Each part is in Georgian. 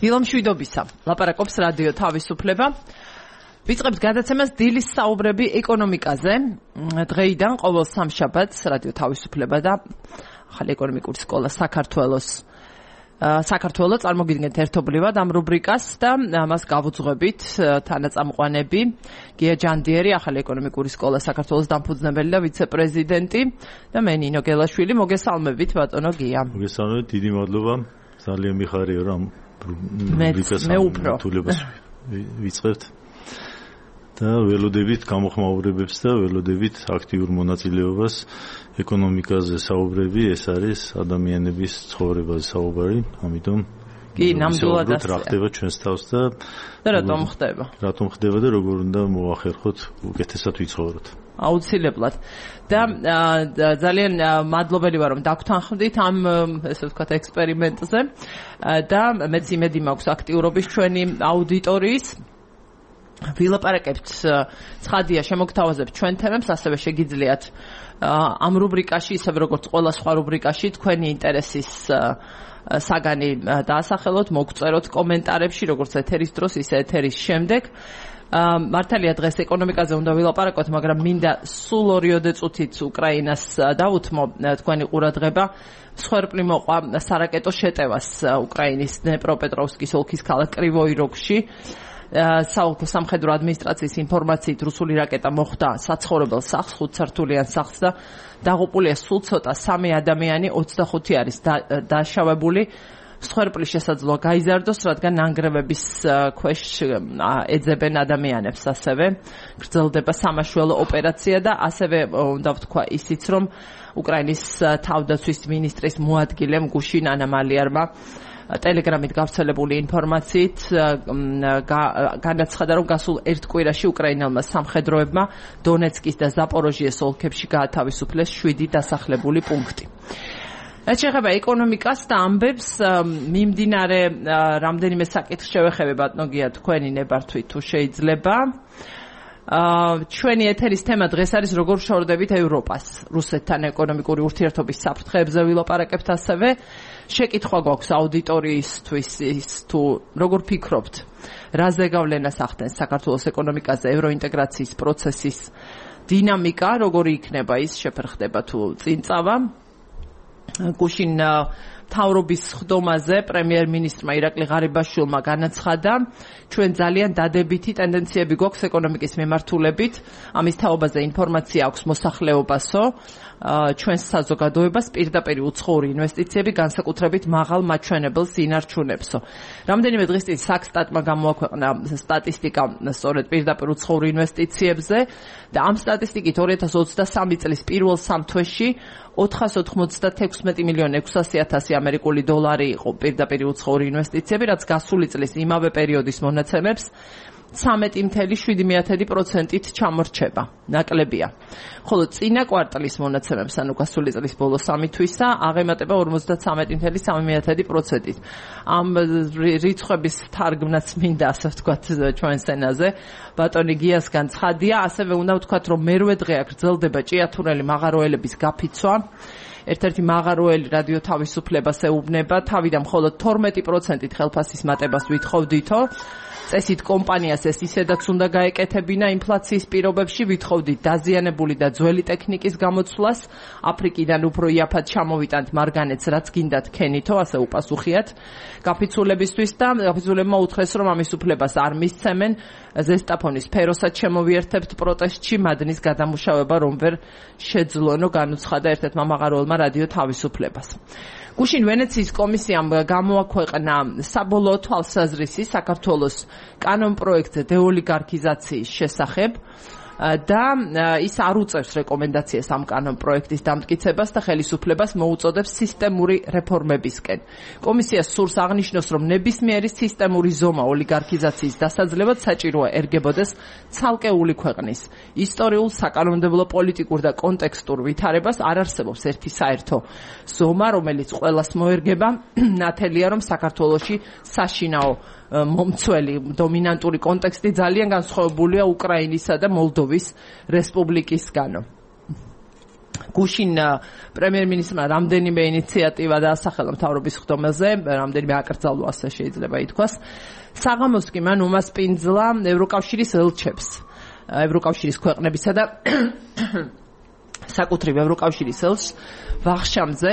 დილომშვიდობისა. ლაპარაკობს რადიო თავისუფლება. ვიწყებთ გადაცემას დილის საუბრები ეკონომიკაზე. დღეიდან ყოველ სამშაბათს რადიო თავისუფლება და ახალი ეკონომიკური სკოლა საქართველოს წარმოგიდგენთ ერთობლივად ამ რუბრიკას და მას გავუძღვებით თანაწამყვანები გია ჯანდიერი, ახალი ეკონომიკური სკოლა საქართველოს დამფუძნებელი და ვიცე-პრეზიდენტი და მე ნინო გელაშვილი. მოგესალმებით ბატონო გია. მოგესალმებით, დიდი მადლობა. ძალიან მიხარია რომ მე უფრო ვიწყებთ და ველოდებით გამოხმაურებებს და ველოდებით აქტიურ მონაწილეობას ეკონომიკაზე საუბრები. ეს არის ადამიანების ცხოვრებაზე საუბარი, ამიტომ კი, ნამდვილად რა ხდება ჩვენს თავს და რატომ ხდება? რატომ ხდება და როგორ უნდა მოახერხოთ უკეთესად ვიცხოვროთ. აუცილებლად. და ძალიან მადლობელი ვარ რომ დაგთანხმდით ამ ესე ვთქვათ ექსპერიმენტზე და მეც იმედი მაქვს აქტიურობის ჩვენი აუდიტორიის. ვილაპარაკებთ ცხადია, შემოგთავაზებთ ჩვენ თემებს, ასევე შეგიძლიათ ამ რუბრიკაში, ისევე როგორც ყველა სხვა რუბრიკაში, თქვენი ინტერესის საგანი დაასახელოთ, მოგწეროთ კომენტარებში, როგორც ეთერის დროს, ისე ეთერის შემდეგ. მართალია დღეს ეკონომიკაზე უნდა ვილაპარაკოთ, მაგრამ მინდა სულ 2 წუთით უკრაინას დავუთმო თქვენი ყურადღება. მსხვერპლი მოყვა სარაკეტო შეტევას უკრაინის დნეპროპეტროვსკის ოლქის ქალაქ კრივოი როგში. საოლქო სამხედრო ადმინისტრაციის ინფორმაციით რუსული რაკეტა მოხვდა საცხოვრებელ სახლს, 5 სართულიან სახლს და დაღუპულია სულ ცოტა 3 ადამიანი, 25 არის დაშავებული. მსხვერპლი შესაძლოა გაიზარდოს, რადგან ნანგრევების ქვეშ ეძებენ ადამიანებს. ასევე გრძელდება სამაშველო ოპერაცია და ასევე უნდა ვთქვა ისიც, რომ უკრაინის თავდაცვის მინისტრის მოადგილემ გუშინ ანამალიარმა ტელეგრამით გავრცელებული ინფორმაციით განაცხადა, რომ გასულ 1 კვირაში უკრაინელმა სამხედროებმა დონეცკის და ზაპოროჟიეს ოლქებში გაათავისუფლეს 7 დასახლებული პუნქტი. რაც შეეხება ეკონომიკას და ამბებს, მიმდინარე რამდენიმე საკითხს შევეხები ბატონო გია, თქვენი ნებართვით თუ შეიძლება. ჩვენი ეთერის თემა დღეს არის როგორ შორდებით ევროპას. რუსეთთან ეკონომიკური ურთიერთობის საფრთხეებზე ვილაპარაკებთ. ასევე შეკითხვა გვაქვს აუდიტორიისთვის, თუ როგორ ფიქრობთ, რა ზეგავლენას ახდენს საქართველოს ეკონომიკაზე ევროინტეგრაციის პროცესის დინამიკა, როგორი იქნება ის, შეფერხდება თუ წინ წავა. გუშინ მთავრობის ხდომაზე პრემიერ-მინისტრმა ირაკლი ღარიბაშვილმა განაცხადა, ჩვენ ძალიან დადებითი ტენდენციები გვაქვს ეკონომიკის მიმართულებით. ამის თაობაზე ინფორმაცია აქვს მოსახლეობასო, ჩვენს საზოგადოებას პირდაპირ უცხოური ინვესტიციები განსაკუთრებით მაღალ მაჩვენებელს ინარჩუნებსო. რამდენიმე დღის წინ საქსტატმა გამოაქვეყნა სტატისტიკა სწორედ პირდაპირ უცხოურ ინვესტიციებზე და ამ სტატისტიკით 2023 წლის პირველ 3 თვეში 496 მილიონი 600.000 ამერიკული დოლარი იყო პირდაპირ უცხოური ინვესტიციები, რაც გასული წლის იმავე პერიოდის მონაცემებს 13.7%-ით ჩამორჩება. ნაკლებია. ხოლო წინა კვარტალის მონაცემებს, ანუ გასული წლის ბოლო 3 თვისა, აღემატება 53.3%-ით. ამ რიცხვების თარგმნაც მინდა, ასე ვთქვათ, ჩვენ სცენაზე ბატონი გიასგან ცხადია. ასევე უნდა ვთქვათ, რომ მერვე დღე გრძელდება ჭიათურელი მაღაროელების გაფიცვა. ერთ-ერთი მაღაროელი რადიო თავისუფლებას ეუბნება, თავიდან მხოლოდ 12%-ით ხელფასის მატებას ვითხოვდითო. წესით კომპანიას ეს ისედაც უნდა გაეკეთებინა ინფლაციის პირობებში, ვითხოვდით დაზიანებული და ძველი ტექნიკის გამოცვლას, აფრიკიდან უფრო იაფად ჩამოვიტანთ მარგანეცს, რაც გინდათ ქენითო, ასე უპასუხიათ გაფიცულებისთვის და გაფიცულებმა უთხრეს, რომ ამის უფლებას არ მისცემენ. ზესტაფონის სფეროსაც შემოვიერთებთ პროტესტში, მადნის გადამუშავება რომ ვერ შეძლონო, განუცხადა ერთ-ერთმა მაღაროელმა რადიო თავისუფლებას. გუშინ ვენეციის კომისიამ გამოაქვეყნა საბოლოო თვალსაზრისი საქართველოს კანონპროექტზე დეოლიგარქიზაციის შესახებ და ის არ უწევს რეკომენდაციას ამ კანონპროექტის დამტკიცებას და ხელისუფლებას მოუწოდებს სისტემური რეფორმებისკენ. კომისია სურს აღნიშნოს, რომ ნებისმიერი სისტემური ზომა ოლიგარქიზაციის დასაძლევად საჭიროა ერგებოდეს ცალკეული ქვეყნის ისტორიულ, საკანონმდებლო, პოლიტიკურ და კონტექსტურ ვითარებას. არ არსებობს ერთი საერთო ზომა, რომელიც ყველას მოერგება. ნათელია, რომ საქართველოში საშინაო მომცველი დომინანტური კონტექსტი ძალიან განსხვავებულია უკრაინისა და მოლდოვის რესპუბლიკისგანო. გუშინ პრემიერ-მინისტრმა რამდენიმე ინიციატივა დაასახელა მთავრობის ხდომაზე, რამდენიმე აკრძალვა ასე შეიძლება ითქვას. საღამოს კი მან უმასპინძლა ევროკავშირის ელჩებს, ევროკავშირის ქვეყნებისა და საკუთრივ ევროკავშირის ელჩს ვახშამზე,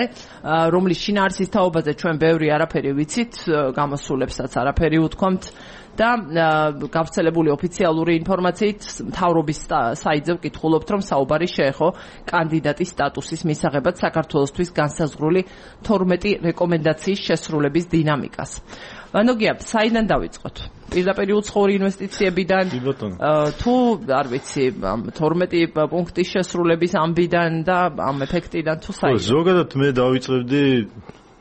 რომლის შინაარსის თაობაზე ჩვენ ბევრი არაფერი ვიცით, გამოსულებსაც არაფერი უთქვამთ და გავრცელებული ოფიციალური ინფორმაციით მთავრობის საიტზე ვკითხულობთ, რომ საუბარი შეეხო კანდიდატის სტატუსის მისაღებად საქართველოსთვის განსაზღვრული 12 რეკომენდაციის შესრულების დინამიკას. ვანოგია, საიდან დავიწყოთ? პირდაპირ უცხოური ინვესტიციებიდან თუ არ ვიცი 12 პუნქტის შესრულების ამბიდან და ამ ეფექტიდან თუ საიდან? ზოგადად მე დავიწყებდი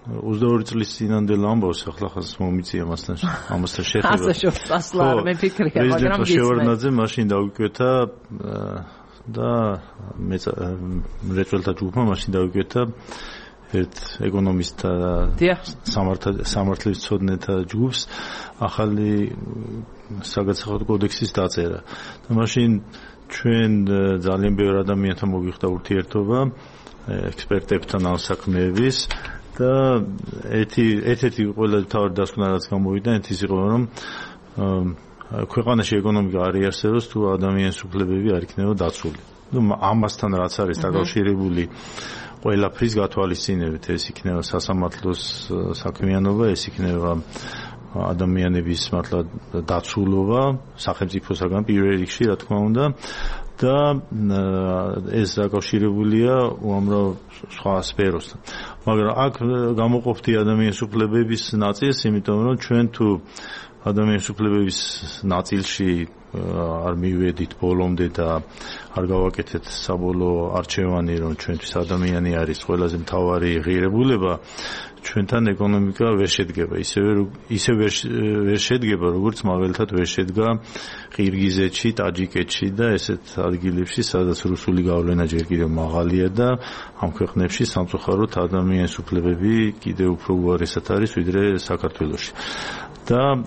22 წლის წინანდელ ამბავს, ახლა ხას მომიწია ამასთან შეხება. ასე შეფასლა არ მეფიქრია, მაგრამ პრეზიდენტ შევარდნაძე მაშინ დავიკვეთა და მრეწველთა ჯგუფმა მაშინ დავიკვეთა ერთ ეკონომისტთა სამართლის მცოდნეთა ჯგუფს ახალი საგადასახადო კოდექსის დაწერა. და მაშინ ჩვენ ძალიან ბევრი ადამიანთან მოგვიხდა ურთიერთობა, ექსპერტებთან ამ საქმეების და ერთ-ერთი ყველაზე მთავარი დასკვნა რაც გამოვიდა, ის იყო, რომ ქვეყანაში ეკონომიკა არ იარსებობს თუ ადამიანის უფლებები არ იქნება დაცული. ამასთან რაც არის დაკავშირებული ყველაფრის გათვალისწინებით, ეს იქნება სასამართლოს საქმიანობა, ეს იქნება ადამიანების მართლა დაცულობა სახელმწიფოსაგან პირველ რიგში, რა თქმა უნდა, და ეს დაკავშირებულია უამრავ სხვა სფეროსთან. მაგრამ აქ გამოყოფდი ადამიანის უფლებების ნაწილს, იმიტომ რომ ჩვენ თუ ადამიანის უფლებების ნაწილში არ მივედით ბოლომდე და არ გავაკეთეთ საბოლოო არჩევანი, რომ ჩვენთვის ადამიანი არის ყველაზე მთავარი ღირებულება, ჩვენთან ეკონომიკა ვერ შედგება, ისე ვერ შედგება, როგორც მაგალითად ვერ შედგა ყირგიზეთში, ტაჯიკეთში და ესეთ ადგილებში, სადაც რუსული გავლენა ჯერ კიდევ მაღალია და ამ ქვეყნებში სამწუხაროდ ადამიანის უფლებები კიდევ უფრო უარესად არის, ვიდრე საქართველოში. და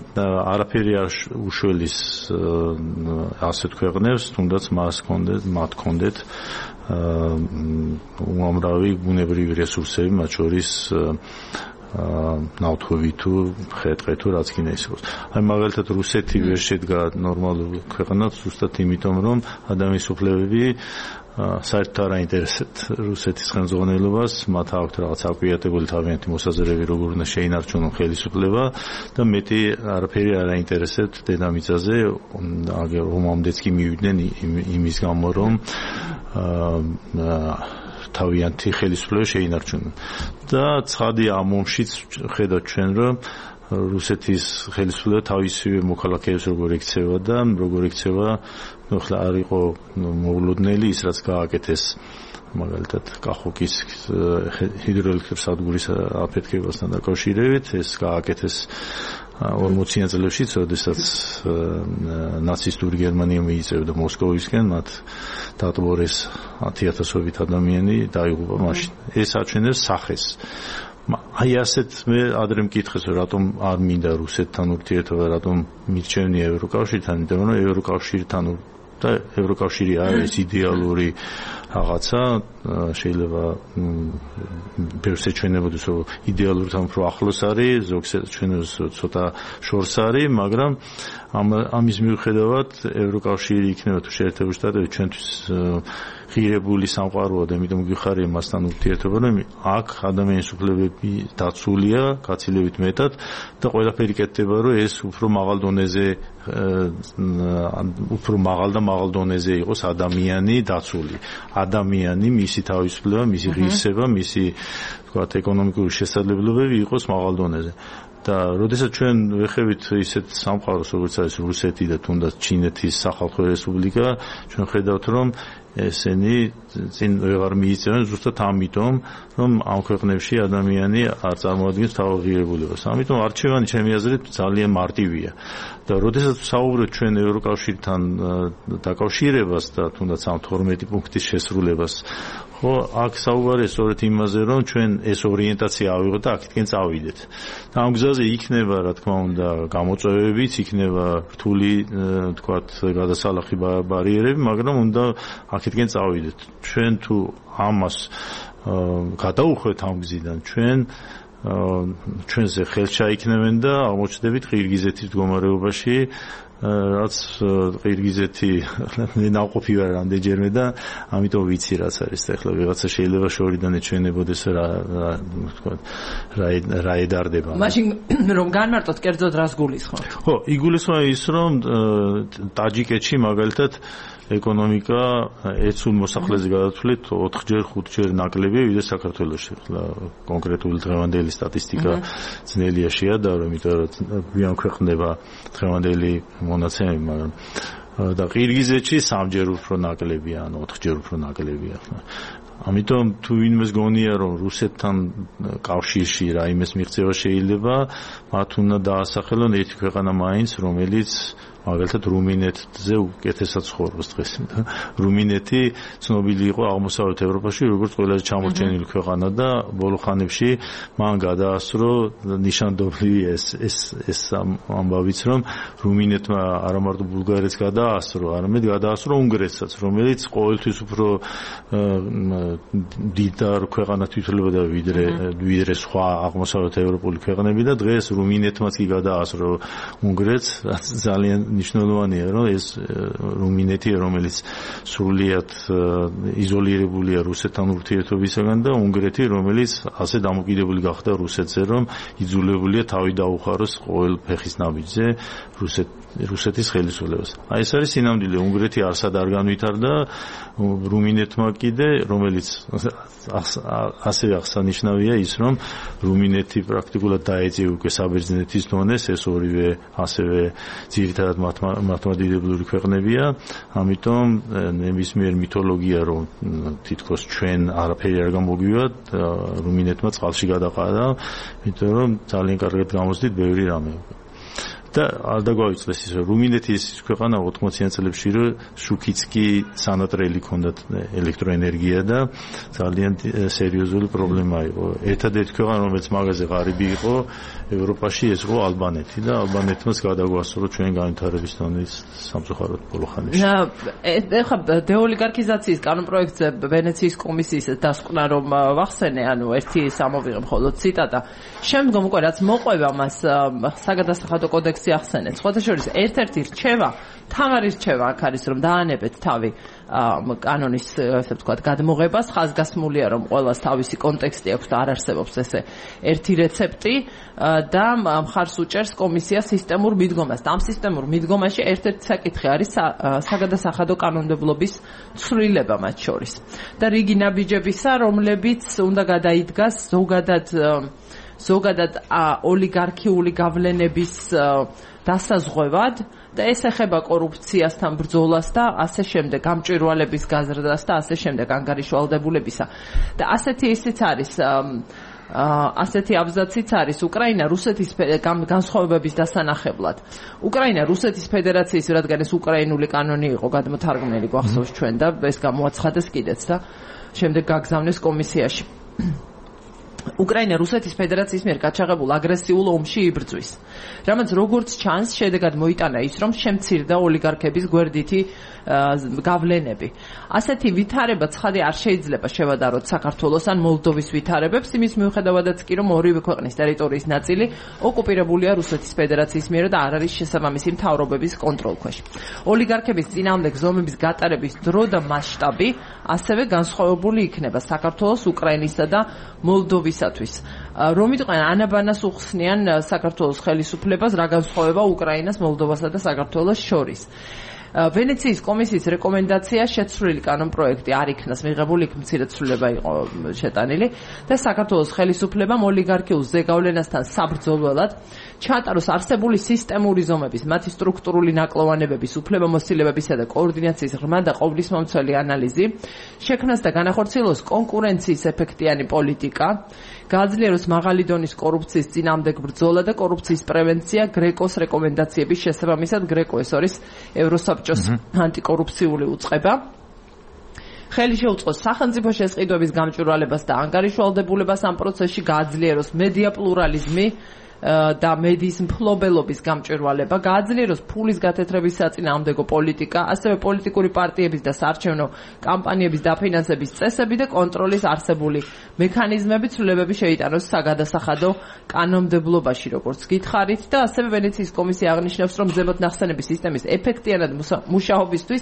არაფერი არ უშველის ასეთ ქვეყნებს, თუნდაც მათ ჰქონდეთ უამრავი ბუნებრივი რესურსები, მათ შორის ნავთობი თუ ხე-ტყე თუ რაც კიდე ის იყოს. აი მაგალითად რუსეთი ვერ შედგა ნორმალურ ქვეყნად, ზუსტად იმიტომ, რომ ადამიანის უფლებები საერთოდ არ აინტერესებთ რუსეთის ხელმძღვანელობას, მათ აქვთ რაღაც აკვიატებული თავიანთი მოსაზრები, როგორ უნდა შეინარჩუნონ ხელისუფლება და მეტი არაფერი არ აინტერესებთ დედამიწაზე, ომამდეც კი მივიდნენ იმის გამო, რომ თავიანთი ხელისუფლება შეინარჩუნონ. და ცხადია ამ ომშიც ხედავთ ჩვენ, რომ რუსეთის ხელისუფლება თავისივე მოქალაქეებს როგორ ექცევა და როგორ ექცევა, ახლა არ იყო მოულოდნელი ის, რაც გააკეთეს მაგალითად კახოკის ჰიდროელექტროსადგურის აფეთქებასთან დაკავშირებით, ეს გააკეთეს 40-იან წლებში, როდესაც ნაცისტური გერმანია მიიწევდა მოსკოვისკენ, მათ დატბორეს 10,000-ობით ადამიანი დაიღუპა მაშინ. ეს აჩვენებს სახეს. აი ასეთ მე ადრე მკითხეს, რატომ არ მინდა რუსეთთან ურთიერთობა, რატომ მირჩევნია ევროკავშირთან, იმიტომ რომ ევროკავშირთან და ევროკავშირი არის იდეალური რაღაცა, შეიძლება ბევრს ეჩვენებოდეს, რომ იდეალურთან უფრო ახლოს არის, ზოგს ეჩვენებს ცოტა შორს არის, მაგრამ ამის მიუხედავად ევროკავშირი იქნება თუ შეერთებული შტატები ჩვენთვის ღირებული სამყაროა და იმიტომ გვიხარია მასთან ურთიერთობა, რომ აქ ადამიანის უფლებები დაცულია გაცილებით მეტად და ყველაფერი კეთდება, რომ ეს უფრო მაღალ დონეზე უფრო მაღალ და მაღალ დონეზე იყოს ადამიანი დაცული. ადამიანი, მისი თავისუფლება, მისი ღირსება, მისი თქვათ ეკონომიკური შესაძლებლობები იყოს მაღალ დონეზე. და როდესაც ჩვენ ვეხებით ისეთ სამყაროს, როგორც არის რუსეთი და თუნდაც ჩინეთის სახალხო რესპუბლიკა, ჩვენ ხედავთ, რომ ესენი წინ ვეღარ მიიწევენ ზუსტად ამიტომ, რომ ამ ქვეყნებში ადამიანი არ წარმოადგენს თავის ღირებულებას. ამიტომ არჩევანი ჩემი აზრით ძალიან მარტივია. და როდესაც საუბრობთ ჩვენ ევროკავშირთან დაკავშირებას და თუნდაც ამ 12 პუნქტის შესრულებას, ხო, აქ საუბარია სწორედ იმაზე, რომ ჩვენ ეს ორიენტაცია ავიღოთ და აქეთკენ წავიდეთ. და ამ გზაზე იქნება, რა თქმა უნდა, გამოწვევებიც, იქნება რთული, თქვათ, გადასალახი ბარიერები, მაგრამ უნდა აქეთკენ წავიდეთ. ჩვენ თუ ამას გადაუხვევთ ამ გზიდან, ჩვენზე ხელშაიქნევენ და აღმოჩნდებით ყირგიზეთის მდგომარეობაში, რაც ყირგიზეთი ნაყოფი ვარ რამდენჯერმე და ამიტომ ვიცი რაც არის ახლა ვიღაცა შეიძლება შორიდან ეჩვენებოდეს რა ედარდება. მაშინ რომ განმარტოთ კერძოდ რას გულისხმობთ? ხო, იგულისხმება ის რომ ტაჯიკეთში მაგალითად ეკონომიკა ეცულ მოსახლეზე გადათვლით 4-ჯერ 5-ჯერ ნაკლებია ვიდრე საქართველოში. ახლა კონკრეტული დღევანდელი სტატისტიკა ძნელია შეადარო, იმიტომ რომ გვიან ქვეყნდება დღევანდელი მონაცემები, მაგრამ და ყირგიზეთში 3-ჯერ უფრო ნაკლებია, ან 4-ჯერ უფრო ნაკლებია. ამიტომ თუ ვინმეს გონია რომ რუსეთთან კავშირში რაიმეს მიღწევა შეიძლება, მათ უნდა დაასახელონ ერთი ქვეყანა მაინც, რომელიც მაგალითად რუმინეთზე უკეთესად ცხოვრობს დღეს. რუმინეთი ცნობილი იყო აღმოსავლეთ ევროპაში როგორც ყველაზე ჩამორჩენილი ქვეყანა და ბოლო ხანებში მან გადაასრო ნიშანდობლივი ეს ამბავიც, რომ რუმინეთმა არა მარტო ბულგარეთს გადაასრო, არამედ გადაასრო უნგრეთსაც, რომელიც ყოველთვის უფრო დიდარ ქვეყანად ითვლებოდა ვიდრე სხვა აღმოსავლეთ ევროპული ქვეყნები და დღეს რუმინეთმაც კი გადაასრო უნგრეთს, რაც ძალიან ნიშნულოვანია, რომ ეს რუმინეთი, რომელიც სრულიად იზოლირებულია რუსეთთან ურთიერთობისაგან და უნგრეთი, რომელიც ასე დამოკიდებული გახდა რუსეთზე, რომ იძულებულია თავი დაუხაროს ყოველ ფეხის ნაბიჯზე რუსეთის ხელისუფლებას. აი ეს არის სინამდვილე, უნგრეთი არსად არ განვითარდა, რუმინეთმა კიდე, რომელიც ასევე აღსანიშნავია ის, რომ რუმინეთი პრაქტიკულად დაეწია უკვე საბერძნეთის დონეს, ეს ორივე ასევე ძირითადად მართლმადიდებლური ქვეყნებია, ამიტომ ნებისმიერ მითოლოგია, რომ თითქოს ჩვენ არაფერი არ გამოგვივიდა, რუმინეთმა წყალში გადაყარა, იმიტომ რომ ძალიან კარგად გამოსდით ბევრი რამე. და არ დაგვაიწლეს ის, რომ რუმინეთი ის ქვეყანა 80-იან წლებში, რომ შუქიც კი სანატრელი ჰქონდათ ელექტროენერგია და ძალიან სერიოზული პრობლემა იყო. ერთადერთი ქვეყანა, რომელიც მაგაზე ღარიბი იყო ევროპაში, ეს იყო ალბანეთი და ალბანეთმაც გადაგვასწრო ჩვენ განვითარების დონის სამწუხაროდ ბოლო ხანებში. ეხლა დეოლიგარქიზაციის კანონპროექტზე ვენეციის კომისიის დასკვნა რომ ვახსენე, ანუ ერთი სამოვიღე მხოლოდ ციტატა. შემდგომ უკვე რაც მოყვება მას საგადასახადო კოდექსი ახსენეთ. სხვათა შორის ერთ-ერთი რჩევა, თამარი რჩევა აქ არის, რომ დაანებეთ თავი კანონის, ესე ვთქვათ, გადმოღებას, ხაზგასმულია, რომ ყველას თავისი კონტექსტი აქვს და არ არსებობს ესე ერთი რეცეპტი და მხარს უჭერს კომისია სისტემურ მიდგომას. და ამ სისტემურ მიდგომაში ერთ-ერთი საკითხი არის საგადასახადო კანონმდებლობის ცვლილება მათ შორის. და რიგი ნაბიჯებისა, რომლებიც უნდა გადაიდგას ზოგადად ოლიგარქიული გავლენების დასაზღვევად და ეს ეხება კორუფციასთან ბრძოლას და ასე შემდეგ, გამჭვირვალების გაზრდას და ასე შემდეგ, ანგარიშვალდებულებისა. და ასეთი ისიც არის, ასეთი აბზაციც არის უკრაინა რუსეთის განსხვავებების დასანახებლად. უკრაინა რუსეთის ფედერაციის, რადგან ეს უკრაინული კანონი იყო გადმოთარგმნელი, გვახსოვს ჩვენ და ეს გამოაცხადეს კიდეც და შემდეგ გაგზავნეს კომისიაში. უკრაინა რუსეთის ფედერაციის მიერ გაჩაღებულ აგრესიულ ომში იბრძვის. რამაც როგორც ჩანს, შედეგად მოიტანა ის, რომ შემცირდა ოლიგარქების გვერდითი გავლენები. ასეთი ვითარება ცხადი არ შეიძლება შევადაროთ საქართველოს ან მოლდოვის ვითარებებს, იმის მიუხედავადაც კი, რომ ორივე ქვეყნის ტერიტორიის ნაწილი ოკუპირებულია რუსეთის ფედერაციის მიერ და არ არის შესაბამისი მთავრობების კონტროლქვეშ. ოლიგარქების წინააღმდეგ ზომების გატარების დრო და მასშტაბი ასევე განსხვავებული იქნება საქართველოს, უკრაინისა და მოლდოვისათვის. რომ იყვნენ ანაბანას უხსნიან საქართველოს ხელისუფლებას, რა განსხვავება უკრაინას, მოლდოვასა და საქართველოს შორის. ვენეციის კომისიის რეკომენდაცია შეცვლილი კანონპროექტი არ იქნას მიღებული, იქ მცირე ცვლილება იყო შეტანილი და საქართველოს ხელისუფლებამ ოლიგარქიულ ზეგავლენასთან საბრძოლველად ჩაატაროს არსებული სისტემური ზომების, მათი სტრუქტურული ნაკლოვანებების, უფლებამოსილებებისა და კოორდინაციის ღრმა და ყოვლისმომცველი ანალიზი, შექმნას და განახორციელოს კონკურენციის ეფექტიანი პოლიტიკა, გააძლიეროს მაღალი დონის კორუფციის წინააღმდეგ ბრძოლა და კორუფციის პრევენცია გრეკოს რეკომენდაციების შესაბამისად. გრეკო ეს არის ევროსაბჭოს ანტიკორუფციული უწყება. ხელი შეუწყოს სახელმწიფო შესყიდვების გამჭვირვალებას და ანგარიშვალდებულებას ამ პროცესში, გააძლიეროს მედია პლურალიზმი და მედიის მფლობელობის გამჭვირვალება, გააძლიეროს ფულის გათეთრების საწინააღმდეგო პოლიტიკა, ასევე პოლიტიკური პარტიების და საარჩევნო კამპანიების დაფინანსების წესები და კონტროლის არსებული მექანიზმები ცვლილებები შეიტანოს საგადასახადო კანონმდებლობაში, როგორც გითხარით, და ასევე ვენეციის კომისია აღნიშნავს, რომ ზემოთ ნახსენები სისტემის ეფექტიანად მუშაობისთვის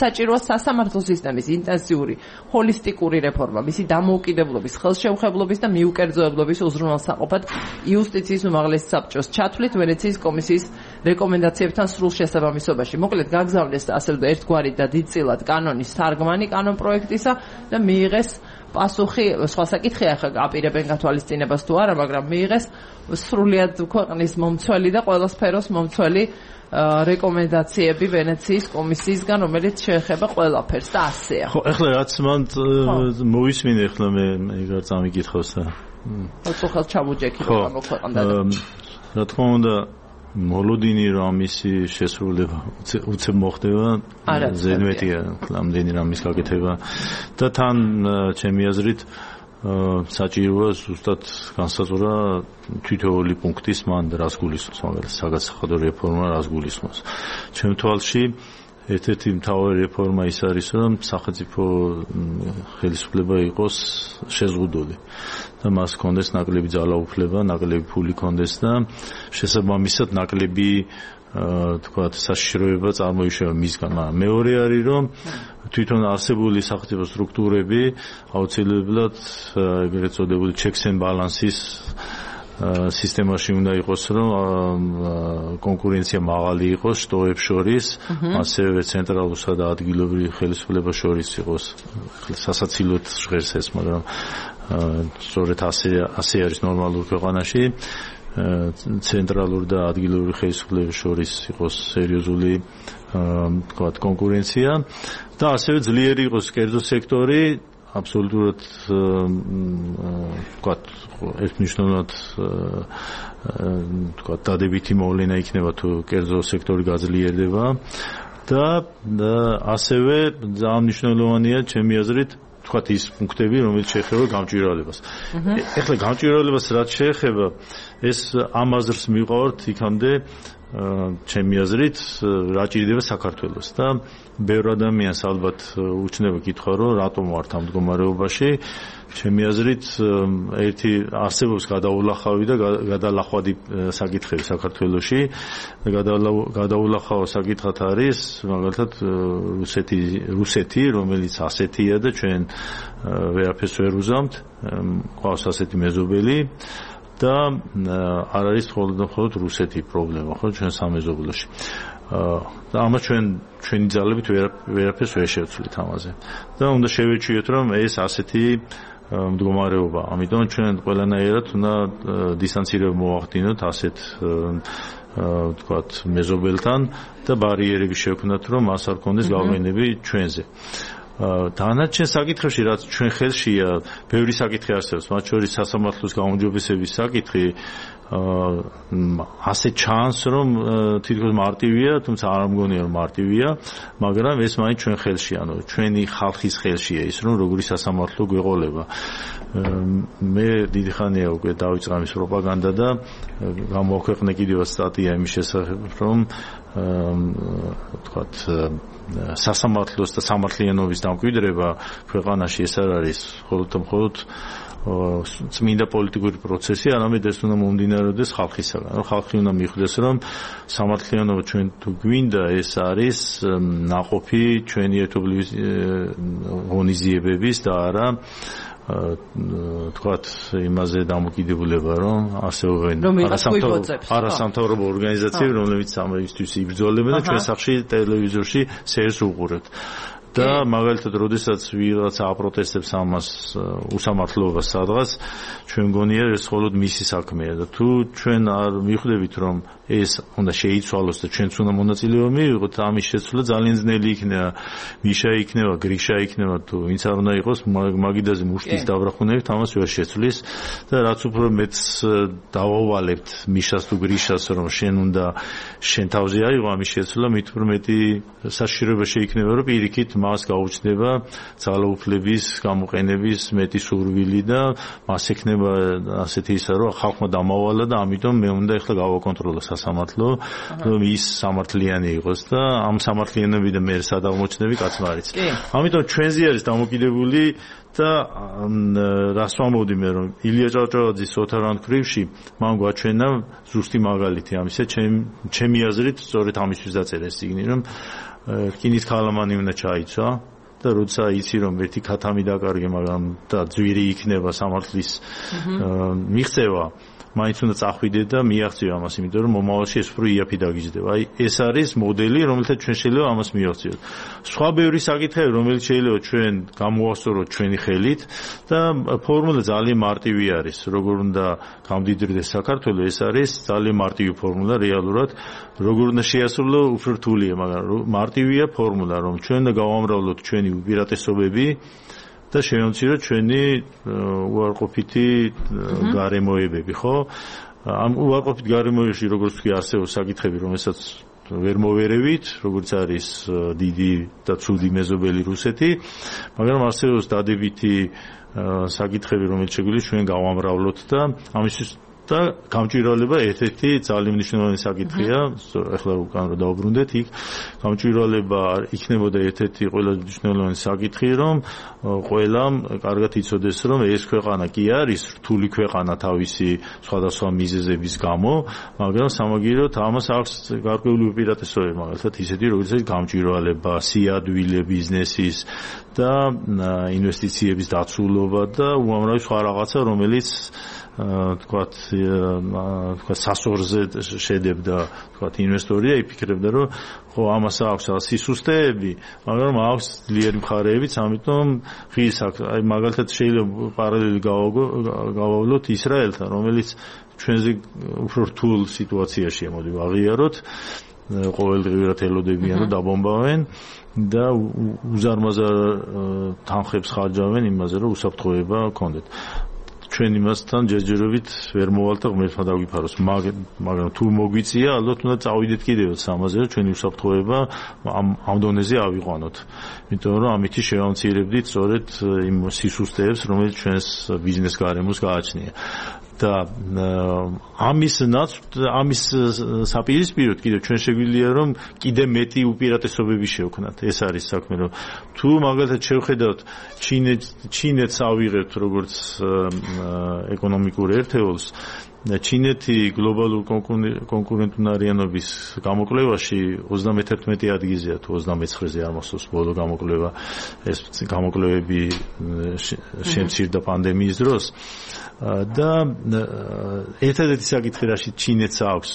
საჭიროა სასამართლო სისტემის ინტენსიური ჰოლისტიკური რეფორმა, მისი დამოუკიდებლობის, ხელშეუხებლობის და მიუკერძოებლობის უზრუნველსაყოფად იუსტიციის უმაღლესი საბჭოს ჩათვლით ვენეციის კომისიის რეკომენდაციებთან სრულ შესაბამისობაში. მოკლედ გაგზავნეს ასე ვთქვათ ერთგვარი და დიდწილად კანონის თარგმანი კანონპროექტისა და მიიღეს პასუხი, სხვა საკითხია ხა აპირებენ გათვალისწინებას თუ არა, მაგრამ მიიღეს სრულიად ქვეყნის მომცველი და ყველა სფეროს მომცველი რეკომენდაციები ვენეციის კომისიისგან, რომელიც შეეხება ყველაფერს და ასეა. ხო, ეხლა რაც მან მოვისმინე, ეხლა მე ეგარ წამიკითხავს და ოცხალ ჩამოჯექი რა მოქვეყნდა. რა თქმა უნდა, მოლოდინი რომ ამისი შესრულება უცებ მოხდება, ზედმეტია ამდენი რამის გაკეთება და თან ჩემი აზრით საჭიროა ზუსტად განსაზღვრა თითოეული პუნქტის მან რას გულისხმობს, მაგალითად საგადასახადო რეფორმა რას გულისხმობს. ჩემ თვალში ერთ-ერთი მთავარი რეფორმა ის არის, რომ სახელმწიფო ხელისუფლება იყოს შეზღუდული და მას კონდეს ნაკლები ძალაუფლება, ნაკლები ფული კონდეს და შესაბამისად ნაკლები თქვათ საშიშროება წარმოიშვა მისგან. მეორე არის, რომ თვითონ არსებული სახელმწიფო სტრუქტურები აუცილებლად ეგრეთ წოდებული checks and balances სისტემაში უნდა იყოს, რომ კონკურენცია მაღალი იყოს შტოებს შორის, ასევე ცენტრალურსა და ადგილობრივ ხელისუფლებას შორის იყოს. სასაცილოდ ჟღერს ეს, მაგრამ სწორედ ასე არის ნორმალურ ქვეყანაში. ცენტრალურ და ადგილობრივ ხელისუფლებას შორის იყოს სერიოზული თქვათ კონკურენცია და ასევე ძლიერი იყოს კერძო სექტორი. აბსოლუტურად თქვათ ერთმნიშვნელოვნად თქვათ დადებითი მოვლენა იქნება თუ კერძო სექტორი გაძლიერდება და ასევე ძალიან მნიშვნელოვანია ჩემი აზრით თქვათ ის პუნქტები, რომელიც შეეხება გამჭვირვალებას. ეხლა გამჭვირვალებას რაც შეეხება, ეს ამ აზრს მივყავართ იქამდე ჩემი აზრით რა ჭირდება საქართველოს და ბევრ ადამიანს ალბათ უჩნდება კითხვა, რომ რატომ ვართ ამ მდგომარეობაში. ჩემი აზრით ერთი არსებობს გადაულახავი და გადალახვადი საკითხები საქართველოში. გადაულახავ საკითხად არის მაგალითად რუსეთი, რომელიც ასეთია და ჩვენ ვერაფერს ვერ უზამთ, ყავს ასეთი მეზობელი. და არ არის მხოლოდ რუსეთი პრობლემა, ხო, ჩვენ სამეზობლოში. და ამას ჩვენი ძალებით ვერაფერს ვერ შევცვლით ამაზე. და უნდა შევეჩვიოთ, რომ ეს ასეთი მდგომარეობა. ამიტომ ჩვენ ყველანაირად უნდა დისტანცირება მოვახდინოთ ასეთ თქვათ მეზობელთან და ბარიერები შევქმნათ, რომ მას არ კონდეს გავლენები ჩვენზე. დანარჩენ საკითხებში, რაც ჩვენ ხელშია, ბევრი საკითხი არსებობს, მათ შორის სასამართლოს გაუმჯობესების საკითხი. ასე ჩანს, რომ თითქოს მარტივია, თუმცა არ მგონია რომ მარტივია, მაგრამ ეს მაინც ჩვენ ხელშია, ანუ ჩვენი ხალხის ხელშია ის, რომ როგორი სასამართლო გვეყოლება. მე დიდი ხანია უკვე დავიწყე ამის პროპაგანდა და გამოვაქვეყნე კიდევ სტატია იმის შესახებ, რომ თქვათ სასამართლოს და სამართლიანობის დამკვიდრება ქვეყანაში ეს არ არის მხოლოდ წმინდა პოლიტიკური პროცესი, არამედ ეს უნდა მომდინარეობდეს ხალხისაგან. ხალხი უნდა მიხვდეს, რომ სამართლიანობა ჩვენ თუ გვინდა, ეს არის ნაყოფი ჩვენი ერთობლივი ღონისძიებების და არა თქვათ იმაზე დამოკიდებულება, რომ არსებობენ არასამთავრობო ორგანიზაციები, რომლებიც ამისთვის იბრძოლებენ და ჩვენ სახში ტელევიზორში სერს უყურებთ. და მაგალითად, როდესაც ვიღაცა აპროტესტებს ამას უსამართლობას სადღაც, ჩვენ მგონია ეს მხოლოდ მისი საქმეა და თუ ჩვენ არ მიხვდებით, რომ ეს უნდა შეიცვალოს და ჩვენც უნდა მონაწილეობა მივიღოთ, ამის შეცვლა ძალიან ძნელი იქნება. მიშა იქნება, გრიშა იქნება, თუ ვინც არ უნდა იყოს, მაგიდაზე მუშტის დაბრახუნებით ამას ვერ შეცვლის და რაც უფრო მეც დავავალებთ მიშას თუ გრიშას, რომ შენ თავზე აიღო ამის შეცვლა, მით უფრო მეტი საშიშროება შეიქმნება, რომ პირიქით მას გაუჩნდება ძალაუფლების გამოყენების მეტი სურვილი და მას ექნება ასეთი ისა, რომ ხალხმა დამავალა და ამიტომ მე უნდა ეხლა გავაკონტროლო სასამართლო, რომ ის სამართლიანი იყოს და ამ სამართლიანობიდან მე სადამოჩნდები კაცმარიც. ამიტომ ჩვენზე არის დამოკიდებული და რას ვამბობდი მე, რომ ილია ჭავჭავაძის ოთარან ქრივში მან გვაჩვენა ზუსტი მაგალითი ამისა, ჩემი აზრით სწორედ ამისთვის დაწერა ეს წიგნი, რომ რკინის ქალამანი უნდა ჩაიცვა და როცა იცი რომ ერთი ქათამი დაკარგე, მაგრამ და ძვირი იქნება სამართლის მიღწევა, მაინც უნდა წახვიდე და მიაღწიო ამას, იმიტომ რომ მომავალში ეს უფრო იაფი დაგიჯდება. აი ეს არის მოდელი, რომელთაც ჩვენ შეიძლება ამას მიაღწიოთ. სხვა ბევრი საკითხები, რომელიც შეიძლება ჩვენ გამოვასწოროთ ჩვენი ხელით და ფორმულა ძალიან მარტივი არის. როგორ უნდა გამდიდრდეს საქართველო, ეს არის ძალიან მარტივი ფორმულა რეალურად. როგორ უნდა შეასრულო, უფრო რთულია, მაგრამ მარტივია ფორმულა, რომ ჩვენ უნდა გავამრავლოთ ჩვენი უპირატესობები და შევამციროთ ჩვენი უარყოფითი გარემოებები, ხო? ამ უარყოფით გარემოებებში როგორც კი არსებობს საკითხები, რომელსაც ვერ მოვერევით, როგორც არის დიდი და ცუდი მეზობელი რუსეთი, მაგრამ არსებობს დადებითი საკითხები, რომელიც შეგვიძლია ჩვენ გავამრავლოთ და ამისთვის და გამჭვირვალება ერთ-ერთი ძალიან მნიშვნელოვანი საკითხია, ახლა უკან რომ დავბრუნდეთ იქ, გამჭვირვალება იქნებოდა ერთ-ერთი ყველაზე მნიშვნელოვანი საკითხი, რომ ყველამ კარგად იცოდეს, რომ ეს ქვეყანა კი არის რთული ქვეყანა თავისი სხვადასხვა მიზეზების გამო, მაგრამ სამაგიეროდ ამას აქვს გარკვეული უპირატესობები, მაგალითად ისეთი, როგორიცაა გამჭვირვალება, სიადვილე ბიზნესის და ინვესტიციების დაცულობა და უამრავი სხვა რაღაცა, რომელიც თქვათ სასორზე შედებდა თქვათ ინვესტორია იფიქრებდა რომ ხო ამას აქვს სისუსტეები, მაგრამ აქვს ძლიერი მხარეებიც, ამიტომ ღირს აქვს. აი მაგალითად შეიძლება პარალელი გავავლოთ ისრაელთან, რომელიც ჩვენზე უფრო რთულ სიტუაციაშია, მოდი ვაღიაროთ, ყოველდღიურად ელოდებიან რომ დაბომბავენ და უზარმაზარ თანხებს ხარჯავენ იმაზე, რომ უსაფრთხოება ჰქონდეთ. ჩვენ იმასთან ჯერჯერობით ვერ მოვალთ და ღმერთმა დაგვიფაროს, მაგრამ თუ მოგვიწია, ალბათ უნდა წავიდეთ კიდევაც ამაზე, რომ ჩვენი უსაფრთხოება ამ დონეზე ავიყვანოთ. იმიტომ რომ ამით შევამცირებდით სწორედ იმ სისუსტეებს, რომელიც ჩვენს ბიზნეს გარემოს გააჩნია. და ამის საპირისპიროდ კიდევ ჩვენ შეგვიძლია რომ კიდე მეტი უპირატესობები შევქნათ. ეს არის საქმე, რომ თუ მაგალითად შევხედავთ ჩინეთს ავიღებთ როგორც ეკონომიკურ ერთეულს, ჩინეთი გლობალურ კონკურენტუნარიანობის გამოკვლევაში 31 ადგილზეა, თუ 29-ზე არ მახსოვს ბოლო გამოკვლევა, ეს გამოკვლევები შემცირდა პანდემიის დროს და ერთადერთი საკითხი, რაშიც ჩინეთს აქვს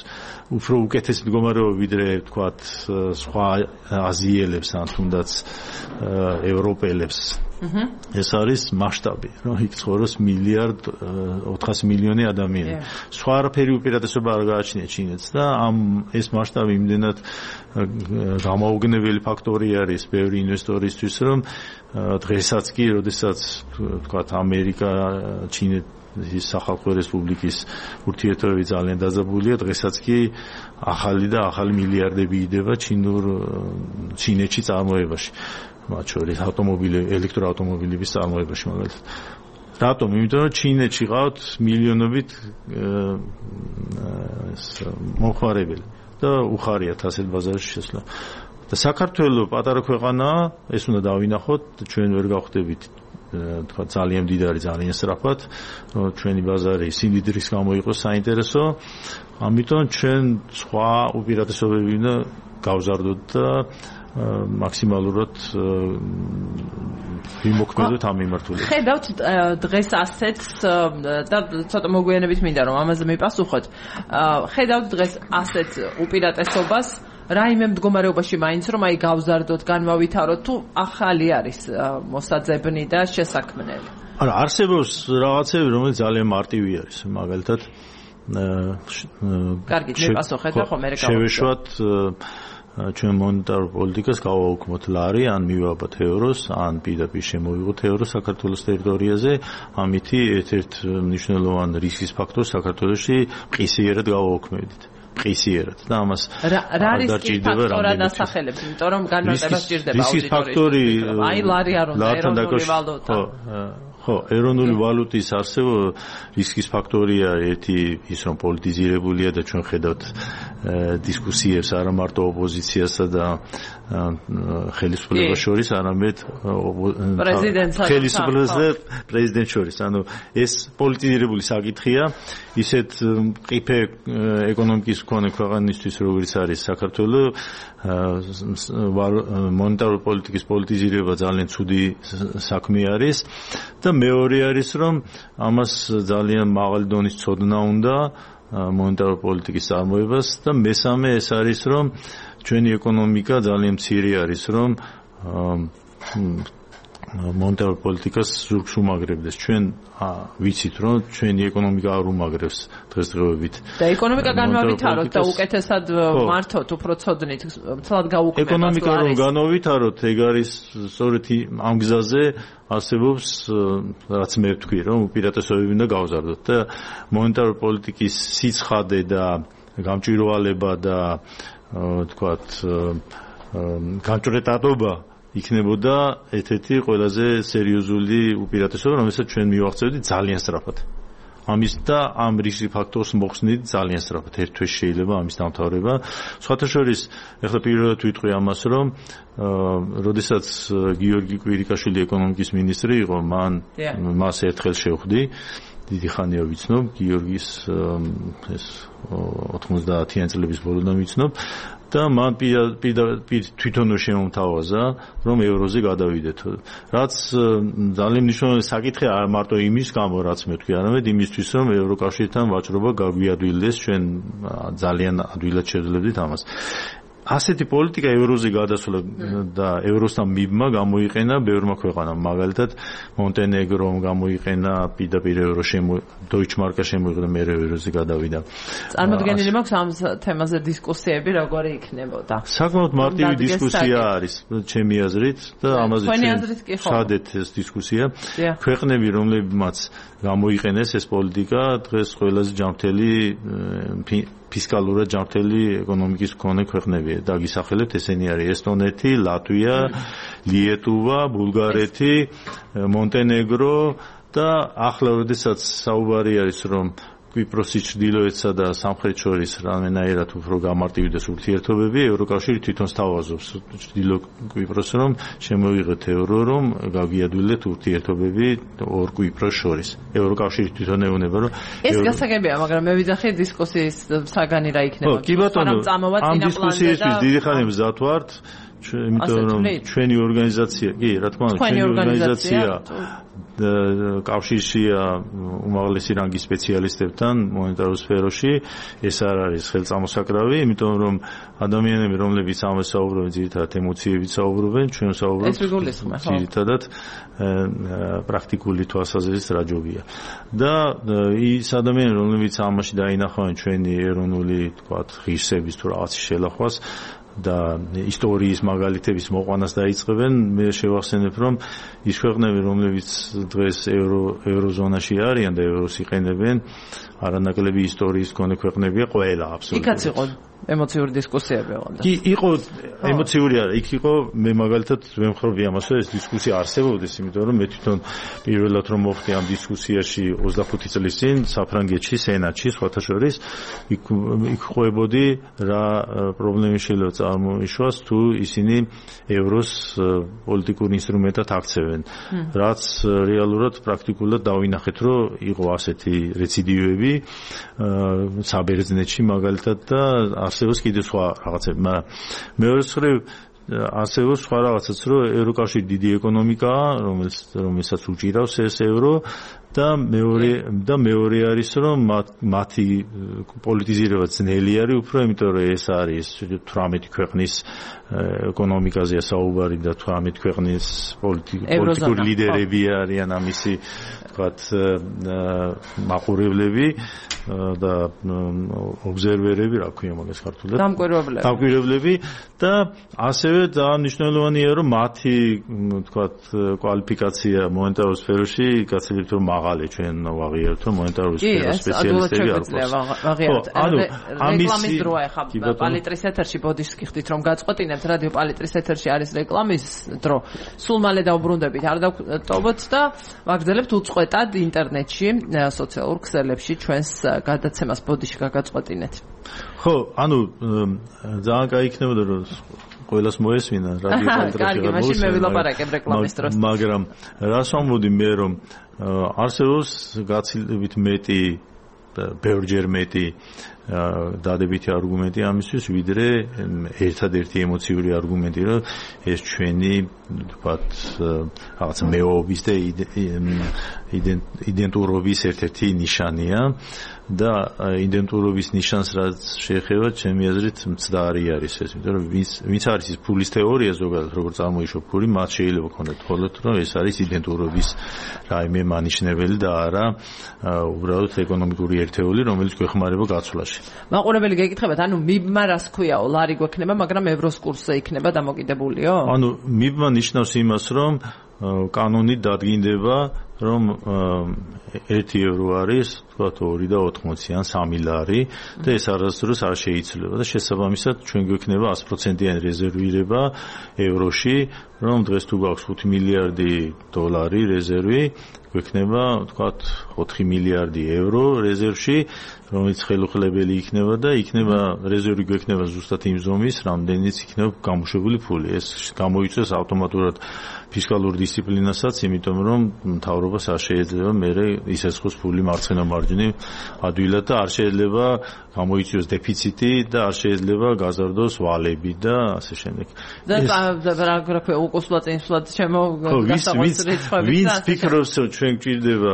უფრო უკეთესი მდგომარეობა ვიდრე თქვათ სხვა აზიელებს ან თუნდაც ევროპელებს, ეს არის მასშტაბი, რომ იქ ცხოვრობს 1,400,000,000 ადამიანი. სხვა არაფერი უპირატესობა არ გააჩნია ჩინეთს და ეს მასშტაბი იმდენად გამაუგნებელი ფაქტორი არის ბევრი ინვესტორისთვის, რომ დღესაც კი, როდესაც თქვათ ამერიკა, ჩინეთის სახალხო რესპუბლიკის ურთიერთობები ძალიან დაძაბულია, დღესაც კი ახალი მილიარდები იდება ჩინეთში წარმოებაში. მათ შორის ელექტროავტომობილების წარმოებაში მაგალითად. რატომ? იმიტომ რომ ჩინეთში ყავთ მილიონობით მომხმარებელი და უხარიათ ასეთ ბაზარში შესვლა. და საქართველო პატარა ქვეყანაა, ეს უნდა დავინახოთ, ჩვენ ვერ გავხდებით თქვა ძალიან მდიდარი, ძალიან სწრაფად, ჩვენი ბაზარი სიმდიდრის გამო იყოს საინტერესო, ამიტომ ჩვენ სხვა უპირატესობები უნდა გავზარდოთ და მაქსიმალურად ვიმოქმედოთ ამ მიმართულებით. ხედავთ დღეს ასეთს და ცოტა მოგვიანებით მინდა რომ ამაზე მიპასუხოთ. ხედავთ დღეს ასეთ უპირატესობას რაიმე მდგომარეობაში მაინც რომ აი გავზარდოთ, განვავითაროთ, თუ ახალი არის მოსაძებნი და შესაქმნელი. არა, არსებობს რაღაცები, რომელიც ძალიან მარტივი არის, მაგალითად კარგი, მიპასუხეთ და ხომ მე შევეშვათ ჩვენ მონეტარ პოლიტიკას გავაუქმოთ ლარი, ან მივაბათ ევროს, ან პირდაპირ შემოვიღოთ ევრო საქართველოს ტერიტორიაზე, ამითი ერთ-ერთ მნიშვნელოვან რისკის ფაქტორს საქართველოში ყისიერად გავაუქმებდით. ყისიერად და ამას რა რისკის ფაქტორად ასახელებს, იმიტომ რომ განმარტება სჭირდება აუდიტორიის. აი ლარი არ უნდა ეროვნული ვალუტა. ხო, ეროვნული ვალუტის არსებობა რისკის ფაქტორია ერთი ის რომ პოლიტიზირებულია და ჩვენ ხედავთ დისკუსიებს არა მარტო ოპოზიციასა და ხელისუფლებას შორის, არამედ ხელისუფლებას და პრეზიდენტს შორის. ანუ ეს პოლიტიზირებული საკითხია, ისეთ ყიფე ეკონომიკის მქონე ქვეყანისთვის, როგორც არის საქართველო, მონეტარული პოლიტიკის პოლიტიზირება ძალიან ცუდი საქმე არის და მეორე არის რომ ამას ძალიან მაღალი დონის ცოდნა უნდა მონეტარული პოლიტიკის წარმოებას და მესამე ეს არის რომ ჩვენი ეკონომიკა ძალიან მცირე არის რომ მონეტარული პოლიტიკას ზურგს უმაგრებდეს. ჩვენ ვიცით რომ ჩვენი ეკონომიკა არ უმაგრებს დღესდღეობით. და ეკონომიკა განავითაროთ და უკეთესად მართოთ, უფრო ცოდნით, ცალად გაუქმებას. ეკონომიკა რომ განავითაროთ, ეგ არის სწორედ ამ გზაზე არსებობს, რაც მე ვთქვი, რომ უპირატესობები უნდა გავზარდოთ და მონეტარული პოლიტიკის სიცხადე და გამჭვირვალება და თქვათ გამჭრეტადობა იქნებოდა ერთ-ერთი ყველაზე სერიოზული უპირატესობა, რომელსაც ჩვენ მივახცევდით ძალიან სწრაფად. ამის და ამ რისკის ფაქტორს მოხსნით ძალიან სწრაფად. ერთ თვეში შეიძლება ამის დამთავრება. სხვათა შორის, ეხლა პირველად ვიტყვი ამას, რომ როდესაც გიორგი კვირიკაშვილი ეკონომიკის მინისტრი იყო, მას ერთხელ შევხვდი. დიდი ხანია ვიცნობ, გიორგის ეს 90-იან წლების ბოლოდან ვიცნობ. და მან თვითონ შემომთავაზა, რომ ევროზე გადავიდეთ. რაც ძალიან მნიშვნელოვანი საკითხია არ მარტო იმის გამო, რაც მე ვთქვი, არამედ იმისთვის, რომ ევროკავშირთან ვაჭრობა გაგვიადვილდეს, ჩვენ ძალიან ადვილად შევძლებდით ამას. ასეთი პოლიტიკა ევროზე გადასვლა და ევროსთან მიბმა გამოიყენა ბევრმა ქვეყანამ, მაგალითად მონტენეგრომ გამოიყენა პირდაპირ ევრო დოიჩმარკა შემოიღო და მე ევროზე გადავიდა. წარმოდგენილი მაქვს ამ თემაზე დისკუსიები როგორი იქნებოდა? საკმაოდ მარტივი დისკუსია არის ჩემი აზრით და ამაზე შედეთ ეს დისკუსია. ქვეყნები, რომლებმაც გამოიყენეს ეს პოლიტიკა, დღეს ყველაზე ჯანმრთელი ფისკალურად ჯანმრთელი ეკონომიკის მქონე ქვეყნებია. დაგისახელებთ, ესენი არის ესტონეთი, ლატვია, ლიეტუვა, ბულგარეთი, მონტენეგრო და ახლა როდესაც საუბარი არის რომ კვიპროსი ჩრდილოეთსა და სამხრეთ შორის რამენაირად უფრო გამარტივდეს ურთიერთობები, ევროკავშირი თვითონ სთავაზობს ჩრდილო კვიპროსს რომ შემოვიღეთ ევრო, რომ გავიადვილეთ ურთიერთობები ორ კვიპროს შორის. ევროკავშირი თვითონ ეუბნება რომ ეს გასაგებია, მაგრამ მე ვიძახი დისკუსიის საგანი რა იქნება. კი ბატონო, ამ დისკუსიისთვის დიდი ხანი მზად ვართ, იმიტომ რომ ჩვენი ორგანიზაცია, კი, რა თქმა უნდა, ჩვენი ორგანიზაცია კავშირშია უმაღლესი რანგის სპეციალისტებთან მონეტარულ სფეროში. ეს არ არის ხელწამოსაკრავი, იმიტომ რომ ადამიანები, რომლებიც ამას საუბრობენ, ძირითადად ემოციებით საუბრობენ, ჩვენ საუბრობთ ძირითადად პრაქტიკული თვალსაზრისით რა ჯობია. და ის ადამიანები, რომლებიც ამაში დაინახავენ ჩვენი ეროვნული, თქვათ, ღირსების თუ რაღაცის შელახვას და ისტორიის მაგალითების მოყვანას დაიწყებენ, მე შევახსენებ, რომ ის ქვეყნები, რომლებიც დღეს ევროზონაში არიან და ევროს იყენებენ, არანაკლები ისტორიის მქონე ქვეყნებია, ყველა აბსოლუტურად. იქაც იყო ემოციური დისკუსიები ოღონდ. კი, იყო ემოციური არა, იქ იყო მე მაგალითად ვემხრობი ამას, რომ ეს დისკუსია არსებობდეს, იმიტომ რომ მე თვითონ პირველად რომ მოხდი ამ დისკუსიაში 25 წლის წინ საფრანგეთში, სენატში, სხვათა შორის, იქ ყვებოდი რა პრობლემები შეიძლება წარმოიშვას თუ ისინი ევროს პოლიტიკურ ინსტრუმენტად აქცევენ. რაც რეალურად პრაქტიკულად დავინახეთ, რომ იყო ასეთი რეციდივები საბერძნეთში მაგალითად და არსებობს კიდევ სხვა რაღაცები, მაგრამ მეორე მხრივ არსებობს სხვა რაღაცაც, რომ ევროკავშირი დიდი ეკონომიკაა, რომელსაც უჭირავს ეს ევრო და მეორე არის რომ მათი პოლიტიზირება ძნელი არის უფრო იმიტომ რომ ეს არის 18 ქვეყნის ეკონომიკაზეა საუბარი და 18 ქვეყნის პოლიტიკური ლიდერები არიან ამისი თქვათ მაყურებლები და ობზერვერები რა ქვია მაგას ქართულად დამკვირვებლები და ასევე ძალიან მნიშვნელოვანია რომ მათი თქვათ კვალიფიკაცია მონეტარულ სფეროში გაცილებით რომ მაღალი ჩვენ ვაღიარებთ რომ მონეტარული სფეროს სპეციალისტები არ გვაქვს. რეკლამის დროა ახლა პალიტრის ეთერში ბოდიშს გიხდით რომ გაწყვეტინებთ რადიო პალიტრის ეთერში არის რეკლამის დრო. სულ მალე დავბრუნდებით არ დავტოვოთ და ვაგრძელებთ უწყვეტად ინტერნეტში სოციალურ ქსელებში ჩვენს გადაცემას ბოდიში გაგაწყვეტინეთ. ხო, ძალიან კაი იქნებოდა რომ ყველას მოესმინა რადიო პალიტრის. კარგი, მაშინ მე ვილაპარაკებ რეკლამის დროს. მაგრამ რას ვამბობდი მე რომ არსებობს გაცილებით მეტი ბევრჯერ მეტი დადებითი არგუმენტი ამისთვის ვიდრე ერთადერთი ემოციური არგუმენტი რომ ეს ჩვენი ვთქვათ რაღაც მეოობის და იდენტურობის ერთ-ერთი ნიშანია და იდენტურობის ნიშანს რაც შეეხება ჩემი აზრით მცდარი არის ეს იმიტომ რომ ვინც არის ის ფულის თეორია ზოგადად როგორც წარმოიშვა ფული მათ შეიძლება ქონდეთ ხოლმე რომ ეს არის იდენტურობის რაიმე მანიშნებელი და არა უბრალოდ ეკონომიკური ერთეული რომელიც გვეხმარება გაცვლაში. მაყურებელი გეკითხებათ, მიბმა რას ქვიაო, ლარი გვექნება, მაგრამ ევროს კურსზე იქნება დამოკიდებულიო? მიბმა ნიშნავს იმას, რომ კანონით დადგინდება, რომ 1 ევრო არის, თქვათ 2.80 ან 3 ლარი და ეს არასდროს არ შეიცვლება და შესაბამისად ჩვენ გვექნება 100%-იანი რეზერვირება ევროში, რომ დღეს თუ გვაქვს 5 მილიარდი დოლარი რეზერვი, გვექნება, თქვათ 4 მილიარდი ევრო რეზერვში, რომელიც ხელუხლებელი იქნება და იქნება რეზერვი გვექნება ზუსტად იმ ზომის, რამდენიც იქნება გამოშვებული ფული. ეს გამოიწვევს ავტომატურად ფისკალურ დისციპლინასაც, იმიტომ რომ მთავრობას არ შეიძლება მერე ისესხოს ფული მარცხენა მარჯვნივ ადვილად და არ შეიძლება გამოიწვიოს დეფიციტი და არ შეიძლება გაზარდოს ვალები და ასე შემდეგ. და რა ქვია უკუსლად ინფლად ჩემო გასაღვაწ რიცხვები. ვინც ფიქრობს რომ ჩვენ გვჭირდება,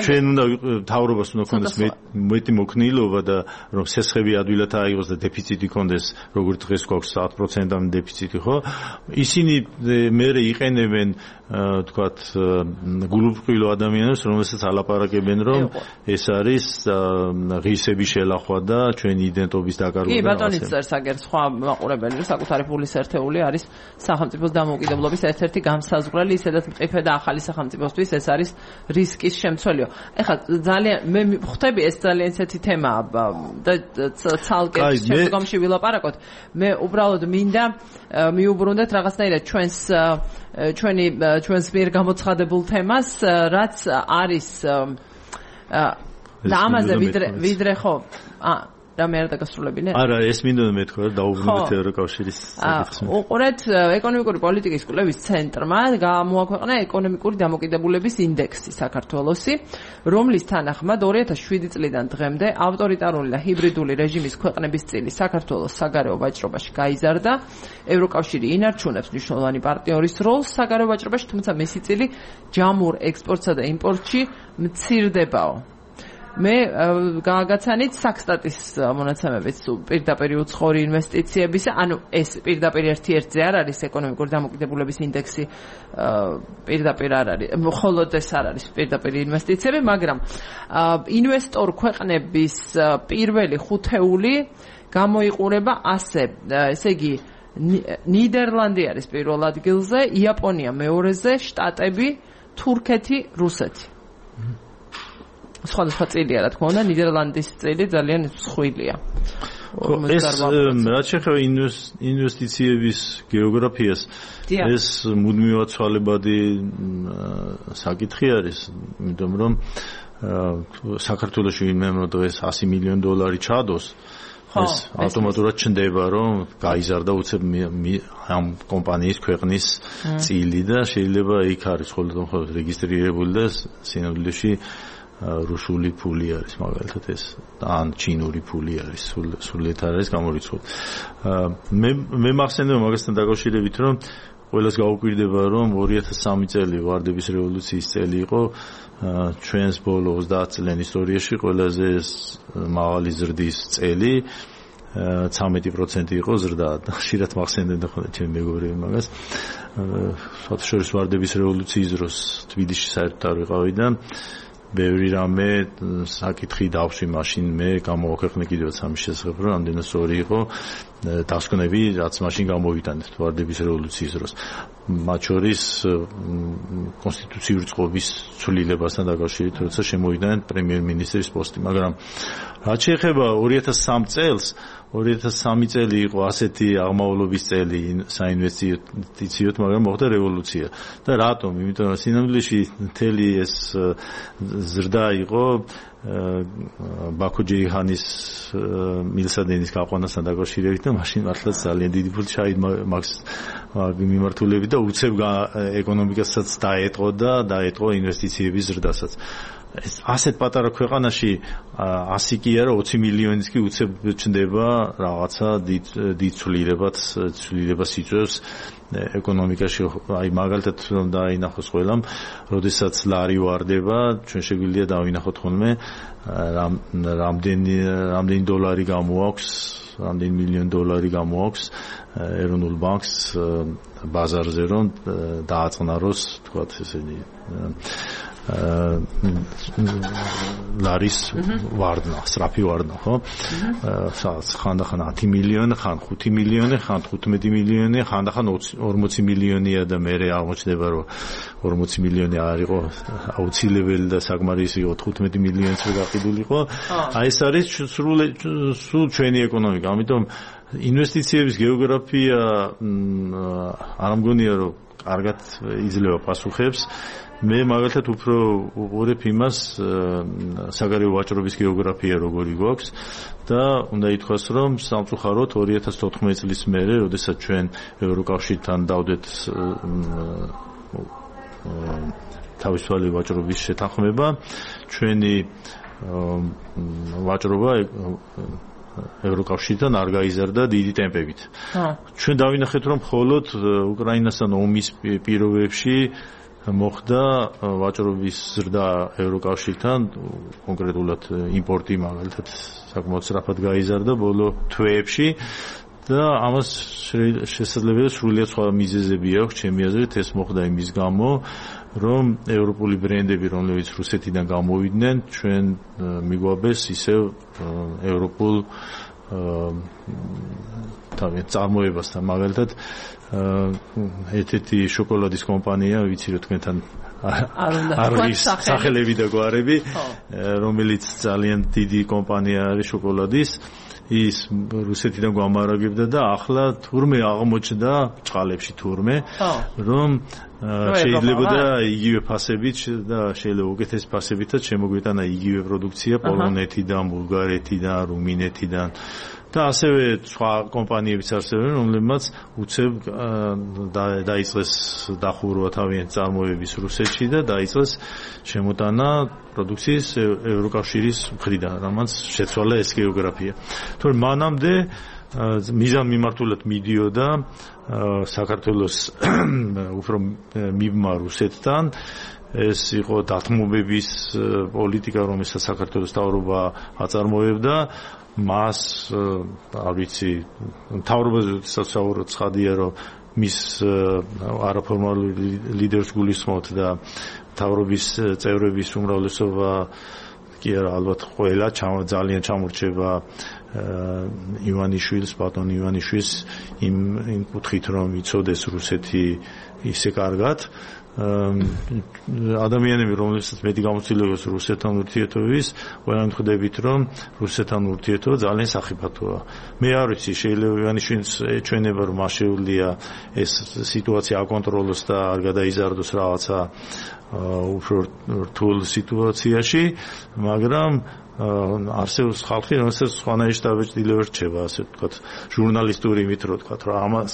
ჩვენ უნდა მთავრობას უნდა ქონდეს მეტი მოქნილობა და რომ სესხები ადვილად აიღოს და დეფიციტი ქონდეს, როგორც დღეს გვაქვს 100%-იანი დეფიციტი, ხო? ისინი მერე იყენებენ თქვათ გულუბრყვილო ადამიანებს, რომელსაც ალაპარაკებენ რომ ეს არის ღირსების შელახვა და ჩვენი იდენტობის დაკარგვა. კი, ბატონის წერს აგერ სხვა მაყურებელი საკუთარი ფულის ერთეული არის სახელმწიფოს დამოუკიდებლობის ერთ-ერთი გამსაზღვრელი, ისედაც მყიფე და ახალი სახელმწიფოსთვის ეს არის რისკის შემცველიო. ეხლა ძალიან მე ხვდები ეს ძალიან ისეთი თემაა და ცალკე შემდგომში ვილაპარაკოთ. მე უბრალოდ მინდა მიუბრუნდეთ რაღაცნაირად ჩვენს მიერ გამოცხადებულ თემას, რაც არის და ამაზე ვიდრე ხო რამე არ დაგასრულებინე? არა, ეს მინდოდა მეთქვა რომ დაუბრუნდეთ ევროკავშირის საკითხს. უყურეთ, ეკონომიკური პოლიტიკის კვლევის ცენტრმა გამოაქვეყნა ეკონომიკური დამოკიდებულების ინდექსი საქართველოსი, რომლის თანახმად 2007 წლიდან დღემდე ავტორიტარული და ჰიბრიდული რეჟიმის ქვეყნების წილი საქართველოს საგარეო ვაჭრობაში გაიზარდა. ევროკავშირი ინარჩუნებს მნიშვნელოვანი პარტნიორის როლს საგარეო ვაჭრობაში, თუმცა მისი წილი ჯამურ ექსპორტსა და იმპორტში მცირდებაო. მე გააგაცანით საქსტატის მონაცემებით პირდაპირ უცხოური ინვესტიციების, ეს პირდაპირ ერთ-ერთზე არ არის ეკონომიკური დამოკიდებულების ინდექსი, პირდაპირ არ არის, მხოლოდ ეს არ არის პირდაპირ ინვესტიციები, მაგრამ ინვესტორ ქვეყნების პირველი ხუთეული გამოიყურება ასე, ესე იგი ნიდერლანდი არის პირველ ადგილზე, იაპონია მეორეზე, შტატები, თურქეთი, რუსეთი. სხვადასხვა წილია, რა თქმა უნდა, ნიდერლანდის წილი ძალიან მსხვილია. ეს რაც შეეხება ინვესტიციების გეოგრაფიას, ეს მუდმივად ცვალებადი საკითხი არის, იმიტომ რომ საქართველოში ვინმე დღეს 100 მილიონი დოლარი ჩადოს, ეს ავტომატურად ჩნდება, რომ გაიზარდა უცებ ამ კომპანიის ქვეყნის წილი და შეიძლება იქ არის ხოლმე რეგისტრირებული და სინამდვილეში რუსული ფული არის მაგალითად ეს ან ჩინური ფული არის სულეთ არის გამორიცხული. მე მახსენდება მაგასთან დაკავშირებით რომ ყველას გაუკვირდება რომ 2003 წელი ვარდების რევოლუციის წელი იყო ჩვენს ბოლო 30 წლიან ისტორიაში ყველაზე მაღალი ზრდის წელი 13% იყო ზრდა. ხშირად მახსენდება ხოლმე ჩემი მეგობრები მაგას. საერთაშორისო ვარდების რევოლუციის დროს თბილისში საერთოდ არ ვიყავი და ბევრი რამე საკითხი დავშვი მაშინ მე გამოვაქვეყნე კიდევაც ამის შესახებ რომ ამდენად სწორი იყო დასკვნები რაც მაშინ გამოვიტანეთ ვარდების რევოლუციის დროს მათ შორის კონსტიტუციური წყობის ცვლილებასთან დაკავშირებით როცა შემოვიდნენ პრემიერ-მინისტრის პოსტი მაგრამ რაც შეეხება 2003 წელს 2003 წელი იყო ასეთი აღმავლობის წელი საინვესტიციოდ, მაგრამ მოხდა რევოლუცია. და რატომ? იმიტომ რომ სინამდვილეში მთელი ეს ზრდა იყო ბაქო-ჯეიჰანის მილსადენის გაყვანასთან დაკავშირებით და მაშინ მართლაც ძალიან დიდი ფული ჩაიდმაქს მიმართულებით და უცებ ეკონომიკასაც დაეტყო ინვესტიციების ზრდასაც. ასეთ პატარა ქვეყანაში 100 კი არა 20 მილიონიც კი უცებ ჩნდება რაღაცა დიდ ცვლილებას იწვევს ეკონომიკაში აი მაგალითად რომ დაინახოს ყველამ როდესაც ლარი ვარდება ჩვენ შეგვიძლია დავინახოთ ხოლმე რამდენი დოლარი გამოაქვს რამდენი მილიონი დოლარი გამოაქვს ეროვნულ ბანკს ბაზარზე რომ დააწყნაროს თქვათ ესენი ლარის ვარდნა, სწრაფი ვარდნა, ხო? ხანდახან 10 მილიონი, ხან 5 მილიონი, ხან 15 მილიონი, ხანდახან 40 მილიონია და მე აღმოჩნდება რომ 40 მილიონი არ იყო აუცილებელი და საკმარისი იყო 15 მილიონიც გაყიდულიყო. აი ეს არის სულ ჩვენი ეკონომიკა. ამიტომ ინვესტიციების გეოგრაფია არ მგონია რომ კარგად იძლევა პასუხებს. მე მაგალითად უფრო უყურებ იმას საგარეო ვაჭრობის გეოგრაფია როგორი გვაქვს და უნდა ითქვას რომ სამწუხაროდ 2014 წლის მერე, როდესაც ჩვენ ევროკავშირთან დავდეთ თავისუფალი ვაჭრობის შეთანხმება, ჩვენი ვაჭრობა ევროკავშირთან არ გაიზარდა დიდი ტემპებით. ჩვენ დავინახეთ რომ მხოლოდ უკრაინასთან ომის პირობებში მოხდა ვაჭრობის ზრდა ევროკავშირთან, კონკრეტულად იმპორტი მაგალითად საკმაოდ სწრაფად გაიზარდა ბოლო თვეებში და ამას შესაძლებელია სრულიად სხვა მიზეზები აქვს ჩემი აზრით ეს მოხდა იმის გამო რომ ევროპული ბრენდები რომლებიც რუსეთიდან გამოვიდნენ ჩვენ მიგვაბეს ისევ ევროპულ თავის წარმოებასთან მაგალითად ერთ-ერთი შოკოლადის კომპანია ვიცი რომ თქვენთან არ არის სახელები და გვარები რომელიც ძალიან დიდი კომპანია არის შოკოლადის ის რუსეთიდან გვამარაგებდა და ახლა თურმე აღმოჩნდა ჭყალებში თურმე რომ შეიძლება და იგივე ფასებით და შეიძლება უკეთეს ფასებითაც შემოგვიტანა იგივე პროდუქცია პოლონეთიდან, ბულგარეთიდან, რუმინეთიდან და ასევე სხვა კომპანიებიც არსებობენ, რომლებმაც უცებ დაიწყეს დახურვა თავიანთი წარმოების რუსეთში და დაიწყეს შემოტანა პროდუქციის ევროკავშირის მხრიდან, რამაც შეცვალა ეს გეოგრაფია. თორემ მანამდე მიზან მიმართულად მიდიოდა საქართველოს უფრო მიბმა რუსეთთან ეს იყო დათმობების პოლიტიკა, რომელსაც საქართველოს მთავრობა აწარმოებდა მას არ ვიცი მთავრობაზე საერთოდ ცხადია რომ მის არაფორმალური ლიდერს გულისხმობთ და მთავრობის წევრების უმრავლესობა კი არა ალბათ ყველა ძალიან ჩამორჩება ივანიშვილს, ბატონ ივანიშვილს იმ კუთხით რომ იცოდეს რუსეთი ისე კარგად ადამიანები რომლებსაც მეტი გამოცდილებას რუსეთთან ურთიერთობის ყველანი ხვდებით რომ რუსეთთან ურთიერთობა ძალიან სახიფათოა მე არ ვიცი შეიძლება ივანიშვილს ეჩვენება რომ შეუძლია ეს სიტუაცია აკონტროლოს და არ გადაიზარდოს რაღაცა უფრო რთულ სიტუაციაში მაგრამ არსებობს ხალხი, რომელსაც სხვანაირი შტაბ-ჭრილები რჩება, ასე ვთქვათ, ჟურნალისტური იმით რო ვთქვათ, რომ ამას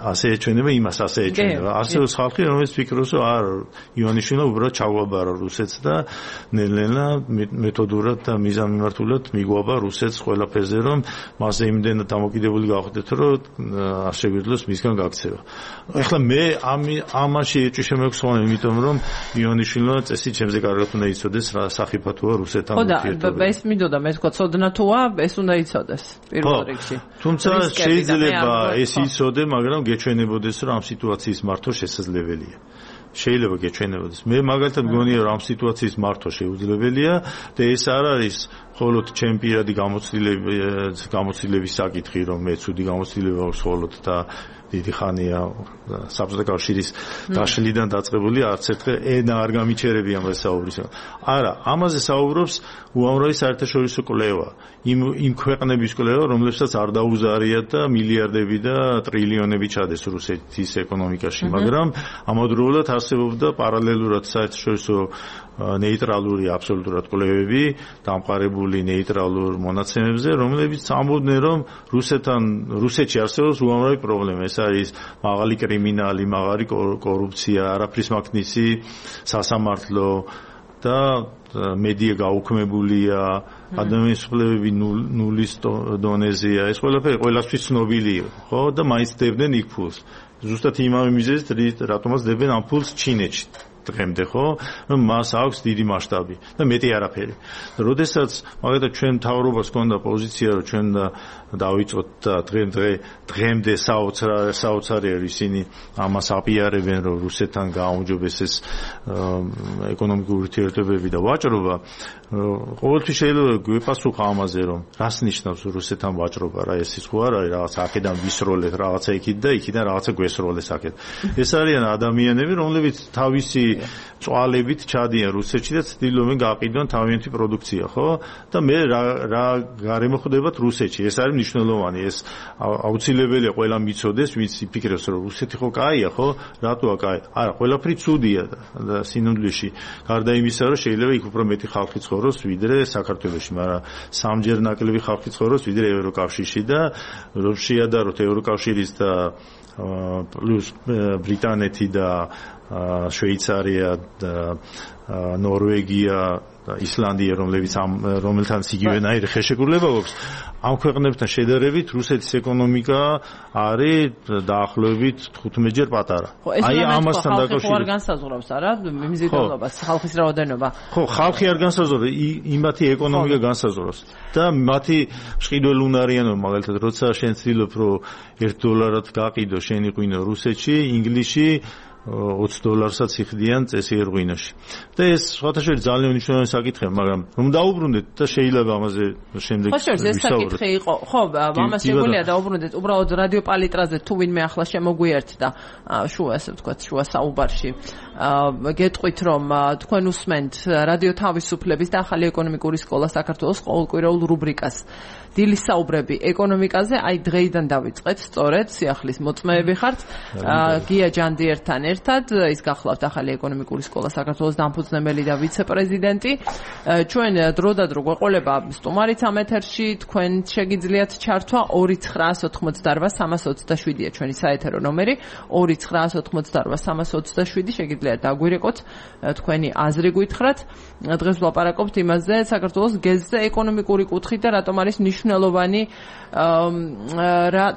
ასე ეჩვენება, იმას ასე ეჩვენება. არსებობს ხალხი, რომელიც ფიქრობს, რომ არა, ივანიშვილმა უბრალოდ ჩაგვაბარა რუსეთს და ნელ-ნელა მეთოდურად და მიზანმიმართულად მიგვაბა რუსეთს ყველაფერზე, რომ მასზე იმდენად დამოკიდებული გავხდეთ, რომ არ შეგვიძლოს მისგან გაქცევა. ეხლა მე ამაში ეჭვი შემეგვსვანა, იმიტომ რომ ივანიშვილმა წესი ჩემზე კარგად უნდა იცოდეს რა სახიფათოა რუსეთთან ურთიერთობა. ეს მინდოდა მე თქვა ცოდნა თუა ეს უნდა იცოდეს პირველ რიგში. თუმცა შეიძლება ეს იცოდე, მაგრამ გეჩვენებოდეს რომ ამ სიტუაციის მართვა შესაძლებელია. შეიძლება გეჩვენებოდეს. მე მაგალითად მგონია რომ ამ სიტუაციის მართვა შეუძლებელია და ეს არ არის მხოლოდ ჩემი პირადი გამოცდილების საკითხი, რომ მე ცუდი გამოცდილება აქვს მხოლოდ და დიდი ხანია საბჭოთა კავშირის დაშლიდან დაწყებული არც ერთხელ ენა არ გამიჩერებია ამაზე საუბრის. არა, ამაზე საუბრობს უამრავი საერთაშორისო კვლევა. იმ ქვეყნების კვლევა, რომლებსაც არ დაუზარიათ და მილიარდები და ტრილიონები ჩადეს რუსეთის ეკონომიკაში, მაგრამ ამავდროულად არსებობდა პარალელურად საერთაშორისო ნეიტრალური აბსოლუტურად კვლევები დამყარებული ნეიტრალურ მონაცემებზე, რომლებიც ამბობდნენ, რომ რუსეთში არსებობს უამრავი პრობლემა. ეს არის მაღალი კრიმინალი, მაღალი კორუფცია, არაფრის მაქნისი სასამართლო და მედია გაუქმებულია, ადამიანის უფლებები ნულის დონეზეა. ეს ყველაფერი ყველასთვის ცნობილია, ხო? და მაინც დებდნენ იქ ფულს. ზუსტად იმავე მიზეზით, რატომაც დებენ ამ ფულს ჩინეთში. დღემდე ხო, რომ მას აქვს დიდი მასშტაბი და მეტი არაფერი. და როდესაც მაგალითად ჩვენ მთავრობას ჰქონდა პოზიცია, რომ ჩვენ დავიწყოთ და დღემდე საოცარი არის ისინი ამას აპიარებენ, რომ რუსეთთან გააუმჯობესეს ეკონომიკური ურთიერთობები და ვაჭრობა. ყოველთვის შეიძლება გვეპასუხა ამაზე, რომ რას ნიშნავს რუსეთთან ვაჭრობა, რა ეს ის ხო არ არის რაღაცა აქედან ვისროლეთ, რაღაცა იქით და იქიდან რაღაცა გვესროლეს აქეთ. ეს არიან ადამიანები, რომლებიც თავისი წვალებით ჩადიან რუსეთში და ცდილობენ გააყიდონ თავიანთი პროდუქცია, ხო? და მე რა გარემოხდებათ რუსეთში. ეს არის მნიშვნელოვანი. ეს აუცილებელია ყველა მიცოდეს, ვინც იფიქრებს, რომ რუსეთი ხო კაია, ხო? რატოა კაი? არა, ყველაფერი ცუდია და სინამდვილეში. გარდა იმისა, რომ შეიძლება იქ უფრო მეტი ხალხი ცხოვროს, ვიდრე საქართველოში, მაგრამ სამჯერ ნაკლები ხალხი ცხოვროს, ვიდრე ევროკავშირში და რომ შეადაროთ ევროკავშირის და პლუს ბრიტანეთი და შვეიცარია და ნორვეგია და ისლანდია, რომელთანაც იგივენაირი ხელშეკრულება აქვს, ამ ქვეყნებთან შედარებით რუსეთის ეკონომიკა არის დაახლოებით 15 ჯერ პატარა. აი ამასთან დაკავშირებით ხალხი არ განსაზღვრავს, არა, მიზიდულობას, ხალხის რაოდენობა. ხო, ხალხი არ განსაზღვრავს, იმათი ეკონომიკა განსაზღვრავს. და მათი მშყიდველ უნარიანობა, მაგალითად, როცა შენ ცდილობ, რომ $1 გაყიდო შენი ღვინო რუსეთში, ინგლისში $20-საც იხდიან წესიერ ღვინოში. და ეს სხვათაშორის ძალიან მნიშვნელოვანი საკითხია, მაგრამ რომ დაუბრუნდეთ და შეიძლება ამაზე შემდეგ ვისაუბროთ. ხო, ეს საკითხი იყო. ხო, ამას შეგვიძლია დაუბრუნდეთ. უბრალოდ რადიო პალიტრაზე თუ ვინმე ახლა შემოგვიერთდა შუა, ასე ვთქვათ, შუა საუბარში. გეტყვით, რომ თქვენ უსმენთ რადიო თავისუფლების და ახალი ეკონომიკური სკოლა საქართველოს ყოველკვირეულ რუბრიკას. დილის საუბრები ეკონომიკაზე, აი დღეიდან დავიწყეთ, სწორედ სიახლის მოწმეები ხართ. გია ჯანდიერთან ერთად, ის გახლავთ ახალი ეკონომიკური სკოლა საქართველოს დამფუძნებელი და ვიცე-პრეზიდენტი. ჩვენ დრო და დრო გვეყოლება სტუმარიც ამ ეთერში, თქვენ შეგიძლიათ ჩართვა 2988327-ია ჩვენი საეთერო ნომერი, 2988327 შეგიძლიათ დაგვირეკოთ, თქვენი აზრი გითხრათ. დღეს ვლაპარაკობთ იმაზე, საქართველოს გეზზე ეკონომიკური კუთხით და რატომ არის მნიშვნელოვანი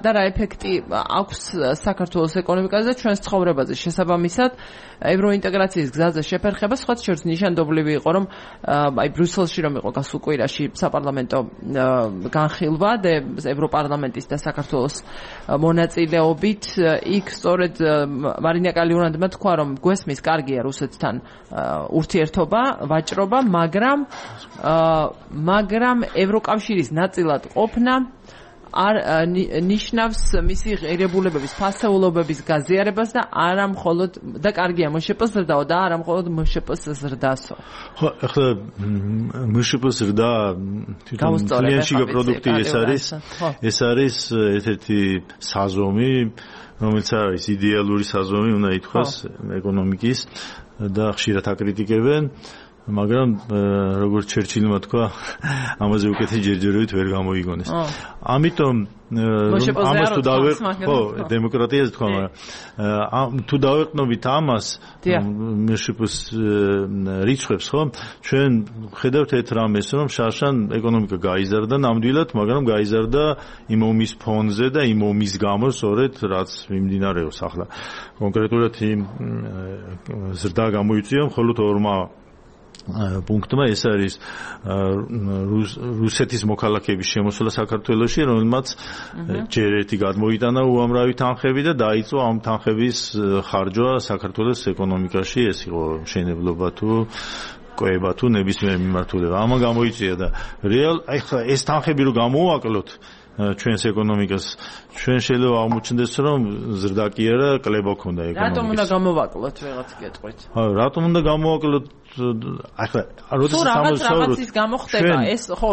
და რა ეფექტი აქვს საქართველოს ეკონომიკაზე და ჩვენს ცხოვრებაზე. შესაბამისად, ევროინტეგრაციის გზაზე შეფერხება სხვა შორის ნიშანდობლივი იყო, რომ აი ბრიუსელში რომ იყო გასულ კვირაში საპარლამენტო განხილვა და ევროპარლამენტის და საქართველოს მონაწილეობით, იქ სწორედ მარინა კალიურანდმა თქვა, რომ გვესმის კარგია რუსეთთან ურთიერთობა, ვაჭრობა, მაგრამ ევროკავშირის ნაწილად ყოფნა არ ნიშნავს მისი ღირებულებების, ფასეულობების გაზიარებას და არა მხოლოდ და კარგია მშპ-ს ზრდაო და არა მხოლოდ მშპ-ს ზრდასო. ხო, ახლა მშპ-ს ზრდა კლიანტში პროდუქტი ეს არის ერთ-ერთი საზომი, რომელიც არის იდეალური საზომი, უნდა ითქვას ეკონომიკის და ხშირად აკრიტიკებენ. მაგრამ როგორც ჩერჩილმა თქვა, ამაზე უკეთეს ჯერჯერობით ვერ გამოიგონეს. ამიტომ ამას თუ დავეყნოთ, ხო, დემოკრატიაზე თქვა, მაგრამ თუ დავეყნობით ამას, მეშიპოს რიცხვებს, ხო, ჩვენ ხედავთ ერთ რამეს, რომ შარშან ეკონომიკა გაიზარდა ნამდვილად, მაგრამ გაიზარდა იმ ომის ფონზე და იმ ომის გამო, სწორედ რაც მიმდინარეობს ახლა. კონკრეტულად იმ ზრდა გამოიწვია მხოლოდ ორმა პუნქტმა, ეს არის რუსეთის მოქალაქეების შემოსვლა საქართველოში, რომელმაც ჯერ ერთი გადმოიტანა უამრავი თანხები და დაიწყო ამ თანხების ხარჯვა საქართველოს ეკონომიკაში, ეს იყო მშენებლობა თუ კვება თუ ნებისმიერ მიმართულება. ამან გამოიწვია და ახლა ეს თანხები რო გამოვაკლოთ ჩვენს ეკონომიკას, ჩვენ შეიძლება აღმოჩნდეს, რომ ზრდა კი არა, კლება ქონდა ეკონომიკას. რატომ უნდა გამოვაკლოთ ვიღაც გეტყვით? რატომ უნდა გამოვაკლოთ? ახლა როდესაც რაღაცის გამო ხდება ეს ხო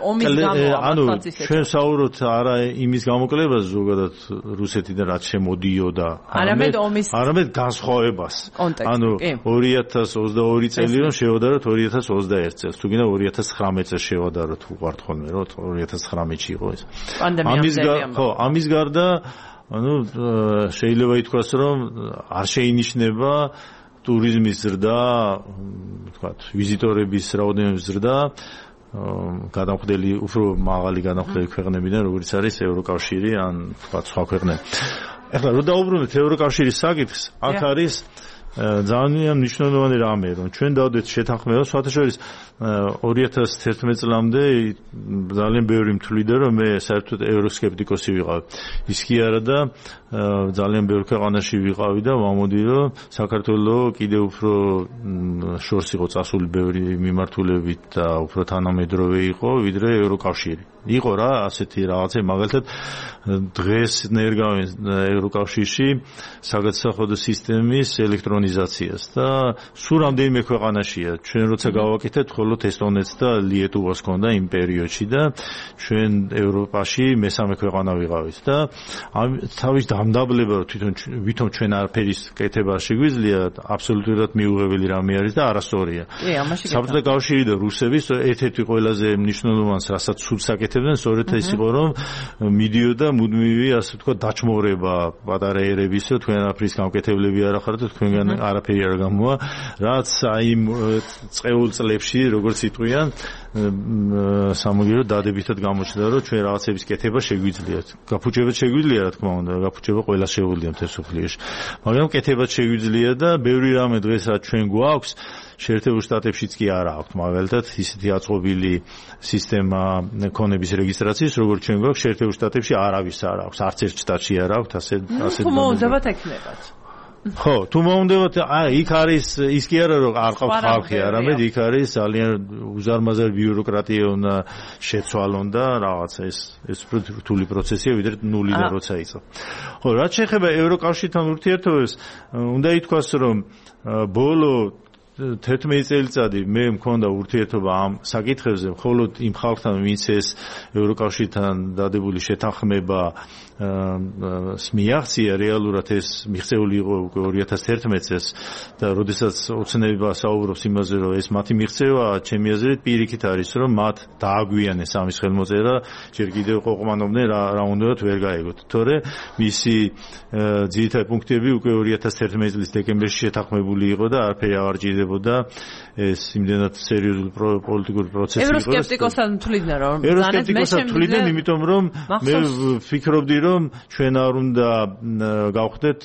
ომის გამო ამასაც ისე. ჩვენ საუბრობთ არა იმის გამოკლებას ზოგადად რუსეთიდან რაც შემოდიოდა, არამედ განსხვავებას. ანუ 2022 წელი რომ შევადაროთ 2021 წელს, თუ გინდა 2019 წელს შევადაროთ, უყვართ ხოლმე რომ 2019-ში იყო ეს. ამის გარდა ანუ შეიძლება ითქვას, რომ არ შეინიშნება ტურიზმის ზრდა, თქვათ, ვიზიტორების რაოდენობის ზრდა, გადამხდელი, უფრო მაღალი გადამხდელი ქვეყნებიდან, როგორც არის ევროკავშირი ან თქვათ სხვა ქვეყნები. ახლა რო დაუბრუნდეთ ევროკავშირის საკითხს, აქ არის ძალიან მნიშვნელოვანი რამე, რომ ჩვენ დავდეთ შეთანხმებას, სხვათაშორის 2011 წლამდე ძალიან ბევრი მთვლიდა, რომ მე საერთოდ ევროსკეპტიკოსი ვიყავი. ის კი არა და ძალიან ბევრ ქვეყანაში ვიყავი და ვამოდი, რომ საქართველოს კიდევ უფრო შორს იყო წასული ბევრი მიმართულებით და უფრო თანამედროვე იყო, ვიდრე ევროკავშირი. იყო რა ასეთი რაღაცა, მაგალითად დღეს ნერგავენ ევროკავშირში საგადასახადო სისტემის ელექტრონიზაციას და სულ რამდენიმე ქვეყანაშია. ჩვენ როცა გავაკეთეთ, მხოლოდ ესტონეთს და ლიეტუვას ჰქონდა იმ პერიოდში და ჩვენ ევროპაში მესამე ქვეყანა ვიყავით და თავის დამდაბლება თვითონ ჩვენ არაფერის კეთება შეგვიძლია, აბსოლუტურად მიუღებელი რამე არის და არასწორია. საბჭოთა კავშირი და რუსების ერთ-ერთი ყველაზე მნიშვნელოვანი რასაც სულს აკეთებდნენ, სწორედ ეს იყო, რომ მიდიოდა მუდმივი, ასე ვთქვათ, დაჩმორება პატარა ერების, რომ თქვენ არაფრის გამკეთებლები არ ახართ და თქვენგან არაფერი არ გამოვა, რაც აი წეულ წლებში, როგორც იტყვიან, სამაგიეროდ დადებითად გამოჩნდა, რომ ჩვენ რაღაცების კეთება შეგვიძლიათ. გაფუჭებაც შეგვიძლია, რა თქმა უნდა, გაფუჭება ყველა შეუძლია მთელ მსოფლიოში. მაგრამ კეთებაც შეგვიძლია და ბევრი რამე დღეს რაც ჩვენ გვაქვს, შეერთებულ შტატებშიც კი არა აქვთ, მაგალითად, ისეთი აწყობილი სისტემა ქონების რეგისტრაციის, როგორც ჩვენ გვაქვს, შეერთებულ შტატებში არავის არ აქვს, არც ერთ შტატში არ აქვთ, ასე თუ მოუნდებათ ექნებათ. ხო, თუ მოუნდებათ, იქ არის ის კი არა, რომ არ ყავთ ხალხი, არამედ იქ არის ძალიან უზარმაზარი ბიუროკრატია უნდა შეცვალონ და რაღაცა ეს რთული პროცესია, ვიდრე ნულიდან როცა იყო. ხო, რაც შეეხება ევროკავშირთან ურთიერთობებს, უნდა ითქვას, რომ ბოლო 11 წელიწადი მე მქონდა ურთიერთობა ამ საკითხებზე, მხოლოდ იმ ხალხთან, ვინც ეს ევროკავშირთან დადებული შეთანხმება მიაღწია, რეალურად ეს მიღწეული იყო უკვე 2011 წელს და როდესაც ოცნება საუბრობს იმაზე, რომ ეს მათი მიღწევა, ჩემი აზრით პირიქით არის, რომ მათ დააგვიანეს ამის ხელმოწერა, ჯერ კიდევ ყოყმანობდნენ რა უნდათ ვერ გაიგოთ. თორე მისი ძირითადი პუნქტები უკვე 2011 წლის დეკემბერში შეთანხმებული იყო და არაფერი არ ჭირდებოდა ეს იმდენად სერიოზული პოლიტიკური პროცესი იყო. ევროსკეპტიკოსად თვლიდნენ, რომ ევროსკეპტიკოსად თვლიდნენ, იმიტომ რომ მე ვფიქრობდი, რომ ჩვენ არ უნდა გავხდეთ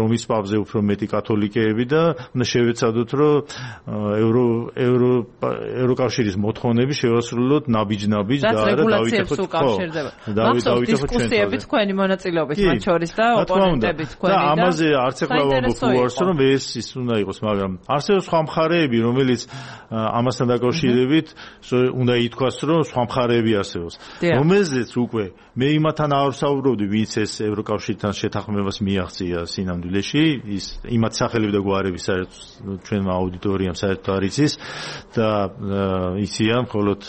რომის პაპზე უფრო მეტი კათოლიკეები და უნდა შევეცადოთ, რომ ევროკავშირის მოთხოვნები შევასრულოთ ნაბიჯ-ნაბიჯ და არა დავიტეხოთ დისკუსიები თქვენი მონაწილეობით მათ შორის და ოპონენტები თქვენი და ამაზე არც ეხლა ვამბობ უარს, რომ ეს უნდა იყოს, მაგრამ არსებობს სხვა მხარეები, რომელიც ამასთან დაკავშირებით უნდა ითქვას, რომ სხვა მხარეები არსებობს, რომელზეც უკვე მე იმათთან არ ვსაუბრობდი, ვინც ეს ევროკავშირთან შეთანხმებას მიაღწია სინამდვილეში, ის იმათ სახელები და გვარები საერთოდ ჩვენმა აუდიტორიამ საერთოდ არ იცის და იციან მხოლოდ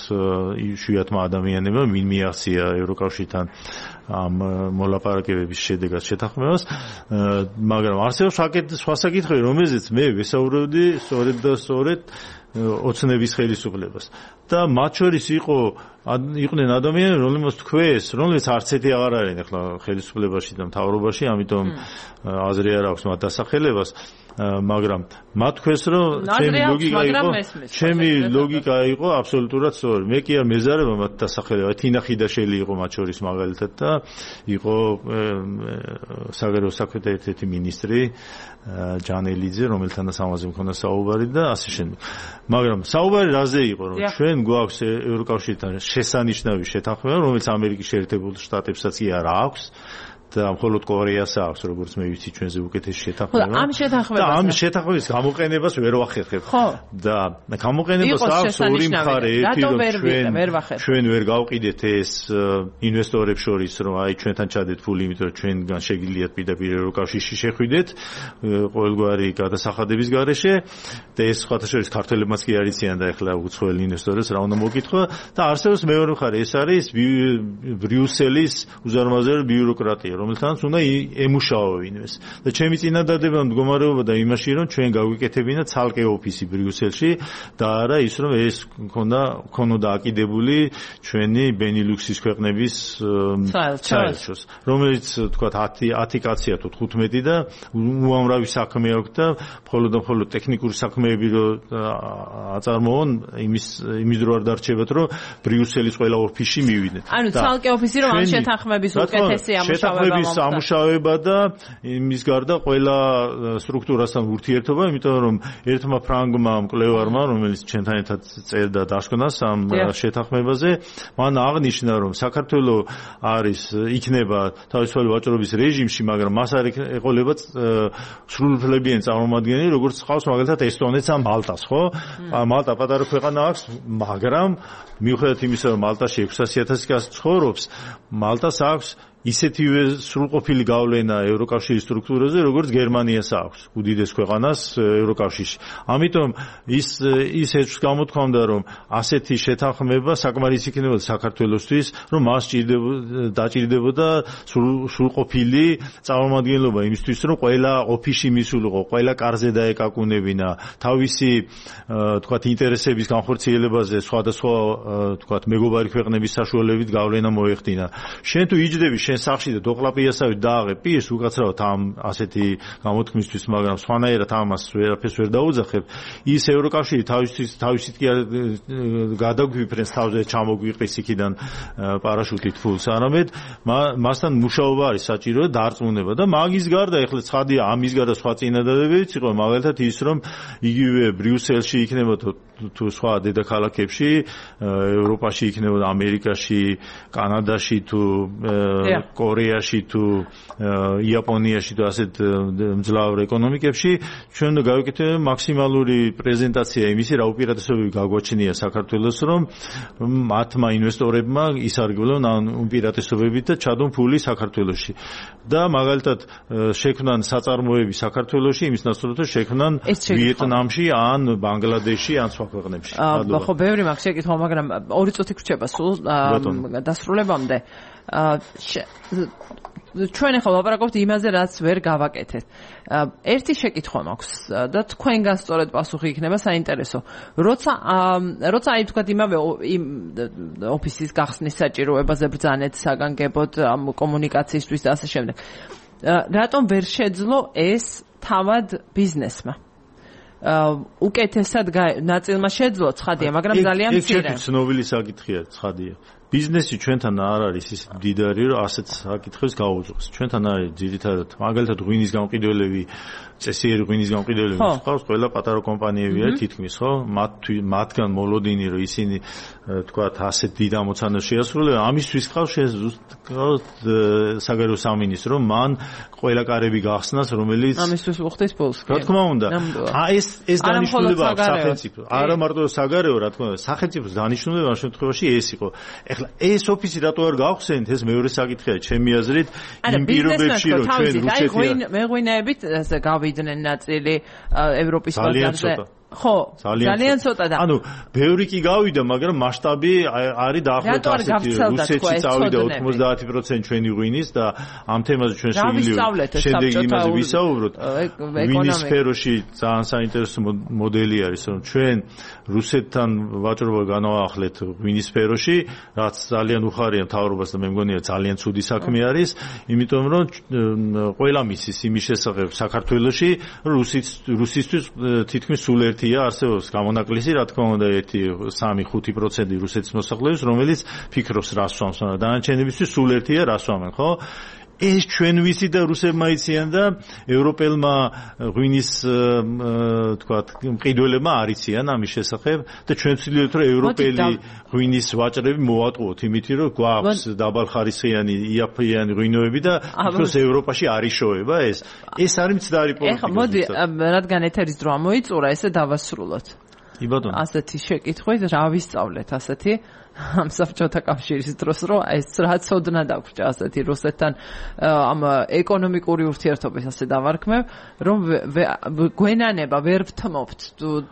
იშვიათმა ადამიანებმა, ვინ მიაღწია ევროკავშირთან ამ მოლაპარაკებების შედეგად შეთანხმებას, მაგრამ არსებობს სხვა საკითხები, რომელზეც მე ვესაუბრებდი, სწორედ ოცნების ხელისუფლებას და მათ შორის იყვნენ ადამიანები, რომლებიც თქვეს, რომლებიც არც ერთი აღარ არიან ახლა ხელისუფლებაში და მთავრობაში, ამიტომ აზრი არ აქვს მათ დასახელებას, მაგრამ მათ თქვეს, რომ ჩემი ლოგიკა იყო აბსოლუტურად სწორი. მე კი არ მეზარება მათ დასახელება, თინა ხიდაშელი იყო მათ შორის მაგალითად და იყო საგარეო საქმეთა ერთ-ერთი მინისტრი ჯანელიძე, რომელთანაც ამაზე მქონდა საუბარი და ასე შემდეგ. მაგრამ საუბარი რაზე იყო, რომ ჩვენ გვაქვს ევროკავშირთან შესანიშნავი შეთანხმება, რომელიც ამერიკის შეერთებულ შტატებსაც კი არ აქვს. და მხოლოდ კორეას აქვს, როგორც მე ვიცი, ჩვენზე უკეთესი შეთანხმება. ამ შეთანხმებას და ამ შეთანხმების გამოყენებას ვერ ვახერხებ. და გამოყენებას აქვს ორი მხარე, ერთი რომ ჩვენ ვერ გავყიდეთ ეს ინვესტორებს შორის, რომ აი ჩვენთან ჩადეთ ფული, იმიტომ რომ ჩვენგან შეგიძლიათ პირდაპირ ევროკავშირში შეხვიდეთ ყოველგვარი გადასახადების გარეშე და ეს სხვათა შორის ქართველებმაც კი არიციან და ეხლა უცხოელ ინვესტორებს რა უნდა მოგკითხო და არსებობს მეორე მხარე, ეს არის ბრიუსელის უზარმაზარი ბიუროკრატია, რომელთანაც უნდა ემუშაოვინოს. და ჩემი წინადადება მდგომარეობა და იმაში, რომ ჩვენ გავიკეთებინა ცალკე ოფისი ბრიუსელში და არა ის, რომ ეს ქონოდა აკიდებული ჩვენი ბენილუქსის ქვეყნების საერთოს, რომელიც თქვა 10 კაცია თუ 15 და უამრავი საქმე აქვს და მხოლოდ ტექნიკური საქმეები რო აწარმოონ, იმის დრო არ დარჩებათ, რომ ბრიუსელის ყველა ოფისში მივიდეთ. ანუ ცალკე ოფისი რომ ამ შეთანხმების უკეთესი ამუშავება და იმის გარდა ყველა სტრუქტურასთან ურთიერთობა, იმიტომ რომ ერთმა ფრანგმა მკვლევარმა, რომელიც ჩვენთან ერთად წერდა დასკვნას ამ შეთანხმებაზე, მან აღნიშნა, რომ საქართველო იქნება თავისუფალი ვაჭრობის რეჟიმში, მაგრამ მას არ ეყოლება სრულუფლებიანი წარმომადგენელი, როგორც ხავს მაგალითად ესტონეთს ან მალტას, ხო? მალტა პატარა ქვეყანა აქვს, მაგრამ მიუხედავად იმისა, რომ მალტაში 600,000 კაცი ცხოვრობს, მალტას აქვს ისეთივე სრულყოფილი გავლენა ევროკავშირის სტრუქტურაზე, როგორც გერმანიას აქვს, უდიდეს ქვეყანას ევროკავშირში. ამიტომ ის ეჭვს გამოთქვამდა, რომ ასეთი შეთანხმება საკმარისი იქნებოდა საქართველოსთვის, რომ მას დაჭირდებოდა სრულყოფილი წარმომადგენლობა იმისთვის, რომ ყველა ოფისში მისულიყო, ყველა კარზე დაეკაკუნებინა, თავისი თქვათ ინტერესების განხორციელებაზე სხვადასხვა თქვათ მეგობარი ქვეყნების საშუალებით გავლენა მოეხდინა. შენ თუ იჯდები შენ სახში და დოყლაპიასავით დააღებ პირს უკაცრავად ამ ასეთი გამოთქმისთვის, მაგრამ სხვანაირად ამას ვერაფერს ვერ დაუძახებ. ის ევროკავშირი თავისით კი არ გადაგვიფრენს თავზე ჩამოგვიყრის იქიდან პარაშუტით ფულს, არამედ მასთან მუშაობა არის საჭირო და დარწმუნება და მაგის გარდა ეხლა ცხადია, ამის გარდა სხვა წინადადებებიც იყო, მაგალითად ის, რომ იგივე ბრიუსელში იქნებოდა თუ სხვა დედაქალაქებში, ევროპაში იქნებოდა, ამერიკაში, კანადაში თუ კორეაში თუ იაპონიაში თუ ასეთ მძლავრ ეკონომიკებში ჩვენ უნდა გავიკეთებთ მაქსიმალური პრეზენტაცია იმისი, რა უპირატესობები გაგვაჩნია საქართველოს, რომ მათმა ინვესტორებმა ისარგებლონ ამ უპირატესობებით და ჩადონ ფული საქართველოში. და მაგალითად შექმნან საწარმოები საქართველოში, იმის ნაცვლად შექმნან ვიეტნამში ან ბანგლადეშში ან სხვა ქვეყნებში. ხო, ბევრი მაქვს შეკითხვა, მაგრამ 2 წუთი გრჩება სულ დასრულებამდე. ჩვენ ახლა ვლაპარაკობთ იმაზე, რაც ვერ გავაკეთეთ. ერთი შეკითხვა მაქვს და თქვენგან სწორედ პასუხი იქნება საინტერესო. როცა აი თქვათ იმავე ოფისის გახსნის საჭიროებაზე ბრძანეთ საგანგებოდ კომუნიკაციისთვის და ასე შემდეგ. რატომ ვერ შეძლო ეს თავად ბიზნესმა? უკეთესად ნაწილმა შეძლო, ცხადია, მაგრამ ძალიან მცირე. ეს ცნობილი საკითხია, ცხადია. ბიზნესი ჩვენთან არ არის ის მდიდარი, რომ ასეთ საკითხებს გაუძღვეს. ჩვენთან არის ძირითადად მაგალითად ღვინის გამყიდველები, წესიერი ღვინის გამყიდველები ხავს, ყველა პატარა კომპანიებია თითქმის, ხო? მათგან მოლოდინი, რომ ისინი თქვათ ასეთ დიდ ამოცანას შეასრულებენ, ამისთვის ხავს საგარეო სამინისტრო, მან ყველა კარები გახსნას, რომელიც ამისთვის უხდის ფულს. რა თქმა უნდა, ეს დანიშნულება აქვს სახელმწიფო. არა მარტო საგარეო, რა თქმა უნდა, სახელმწიფოს დანიშნულება ამ შემთხვევაში ეს იყო. ეხლა ეს ოფისი რატო არ გავხსენთ, ეს მეორე საკითხია, ჩემი აზრით, იმ პირობებში, რომ ჩვენ რუსეთი მეღვინეებით გავიდნენ ნაწილი ევროპის ბაზარზე. ხო, ძალიან ცოტა და ანუ ბევრი კი გავიდა, მაგრამ მასშტაბი არის დაახლოებით ასეთი. რუსეთში წავიდა 90% ჩვენი ღვინის და ამ თემაზე ჩვენ შეგვიძლია შემდეგ იმაზე ვისაუბროთ. ღვინის სფეროში ძალიან საინტერესო მოდელი არის, რომ ჩვენ რუსეთთან ვაჭრობა განვაახლეთ ღვინის სფეროში, რაც ძალიან უხარია მთავრობას და მე მგონია ძალიან ცუდი საქმე არის, იმიტომ რომ ყველა მისის იმის შესახებ საქართველოში რუსისთვის თითქმის სულ ერთია არსებობს გამონაკლისი, რა თქმა უნდა 1-3-5% რუსეთის მოსახლეობის, რომელიც ფიქრობს რას სვამს, მაგრამ დანარჩენებისთვის სულ ერთია რას სვამენ, ხო? ეს ჩვენ ვიცი და რუსებმა იციან და ევროპელმა ღვინის თქვათ მყიდველებმა არ იციან ამის შესახებ და ჩვენ ვცდილობთ რომ ევროპელი ღვინის ვაჭრები მოვატყუოთ იმით რომ გვაქვს დაბალხარისხიანი იაფიანი ღვინოები და თვითონ ევროპაში არ იშოვება ეს არის მცდარი პოლიტიკა. ეხლა მოდი რადგან ეთერის დრო მოიწურა ესე დავასრულოთ. იბატონო. ასეთი შეკითხვით რა ვისწავლეთ ასეთი ამ საბჭოთა კავშირის დროს რომ ეს რა ცოდნა დაგვრჩა ასეთი რუსეთთან ამ ეკონომიკური ურთიერთობის ასე დავარქმევ რომ გვენანება ვერ ვთმობთ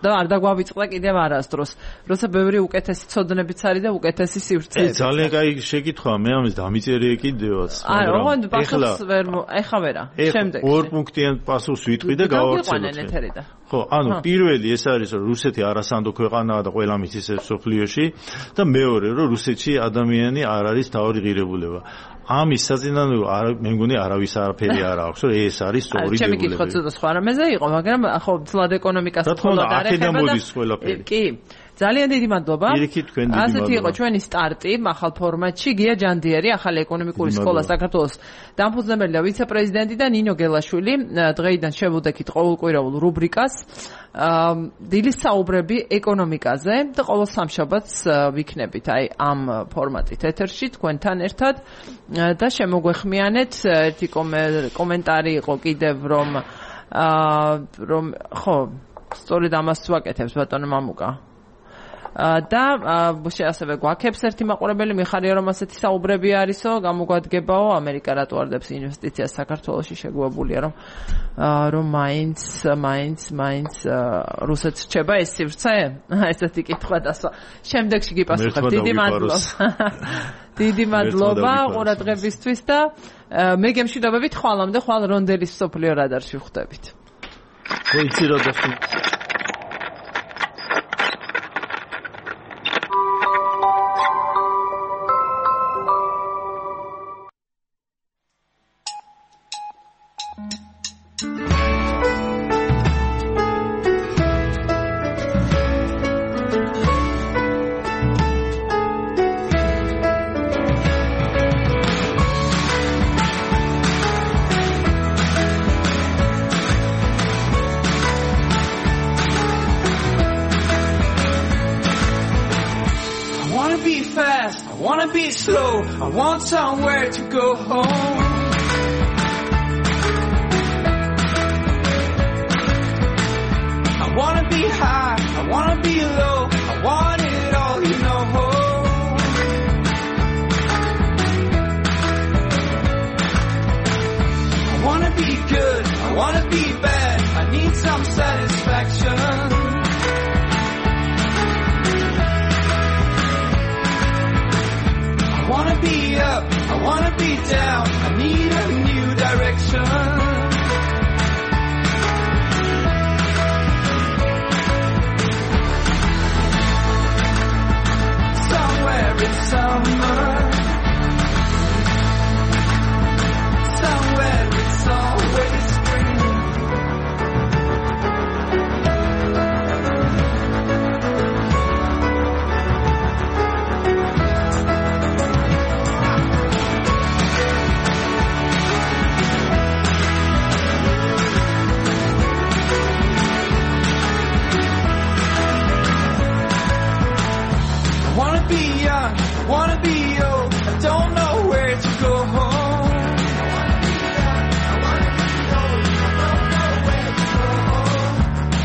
და არ დაგვავიწყდა კიდევ არასდროს როცა ბევრი უკეთესი ცოდნებიც არის და უკეთესი სივრცეები. ძალიან კაი შეკითხვაა მე ამის დამიწერია კიდევაც მაგრამ პასუხს ვერ ეხა ვერა შემდეგ ორ პუნქტიან პასუხს ვიტყვი და გავავრცელოთ. ხო, ანუ პირველი ეს არის რომ რუსეთი არასანდო ქვეყანაა და ყველა მის სოფლიოში და მეორე რომ რუსეთში ადამიანი არ არის თავი ღირებულება. ამის საწინააღმდეგო მე მგონი არავის არაფერი არ აქვს რომ ეს არის სწორი დებულება. ჩემი კითხვა ცოტა სხვა რამეზე იყო, მაგრამ ხო თლად ეკონომიკას მხოლოდ არ ეხება და კი ძალიან დიდი მადლობა. ასეთი იყო ჩვენი სტარტი ახალ ფორმატში. გია ჯანდიერი, ახალი ეკონომიკური სკოლა საქართველოს დამფუძნებელი და ვიცე-პრეზიდენტი და ნინო გელაშვილი დღეიდან შევუდექით ყოველკვირეულ რუბრიკას დილის საუბრები ეკონომიკაზე და ყოველ სამშაბათს ვიქნებით აი ამ ფორმატით ეთერში თქვენთან ერთად და შემოგვეხმიანეთ ერთი კომენტარი იყო კიდევ რომ ხო სწორედ ამას ვაკეთებს ბატონო მამუკა და ასევე გვაქებს ერთი მაყურებელი მიხარია რომ ასეთი საუბრები არისო გამოგვადგებაო ამერიკა რატო არ დებს ინვესტიციას საქართველოში შეგვებულია რომ მაინც რუსეთს რჩება ეს სივრცე ესეთი კითხვა დასვა შემდეგში გიპასუხებ დიდი მადლობა ყურადღებისთვის და მე გემშვიდობებით ხვალამდე ხვალ რონდელის სოფლიო რადარში ვხვდებით. იცი რა დასვა I want somewhere to go home. I wanna be high, I wanna be low, I want it all, you know. I wanna be good, I wanna be bad, I need some satisfaction. I wanna be up, I wanna be down, I need a new direction. Somewhere in summer, somewhere it's always spring. I wanna be old, I don't know where to go home.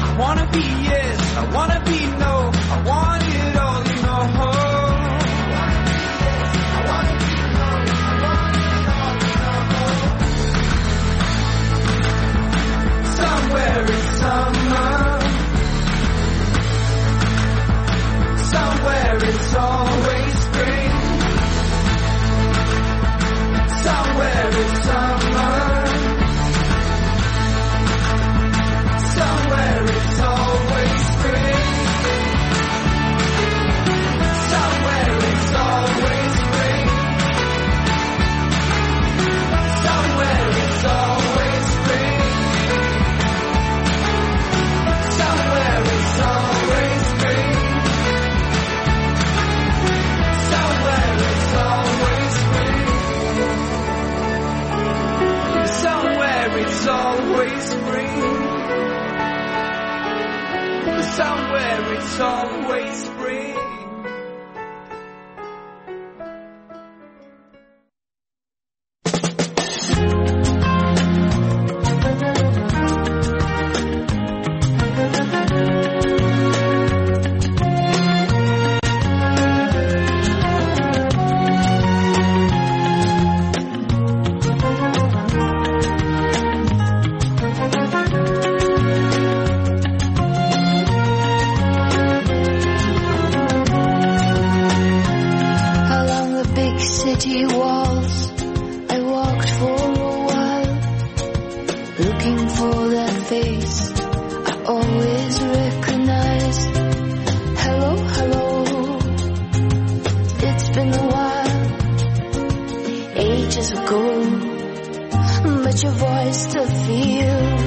I wanna be yes, I wanna be no, I want it all, you know. Somewhere in summer, somewhere it's always spring. City walls, I walked for a while, looking for that face I always recognized. Hello, hello, it's been a while, ages ago, but your voice still feels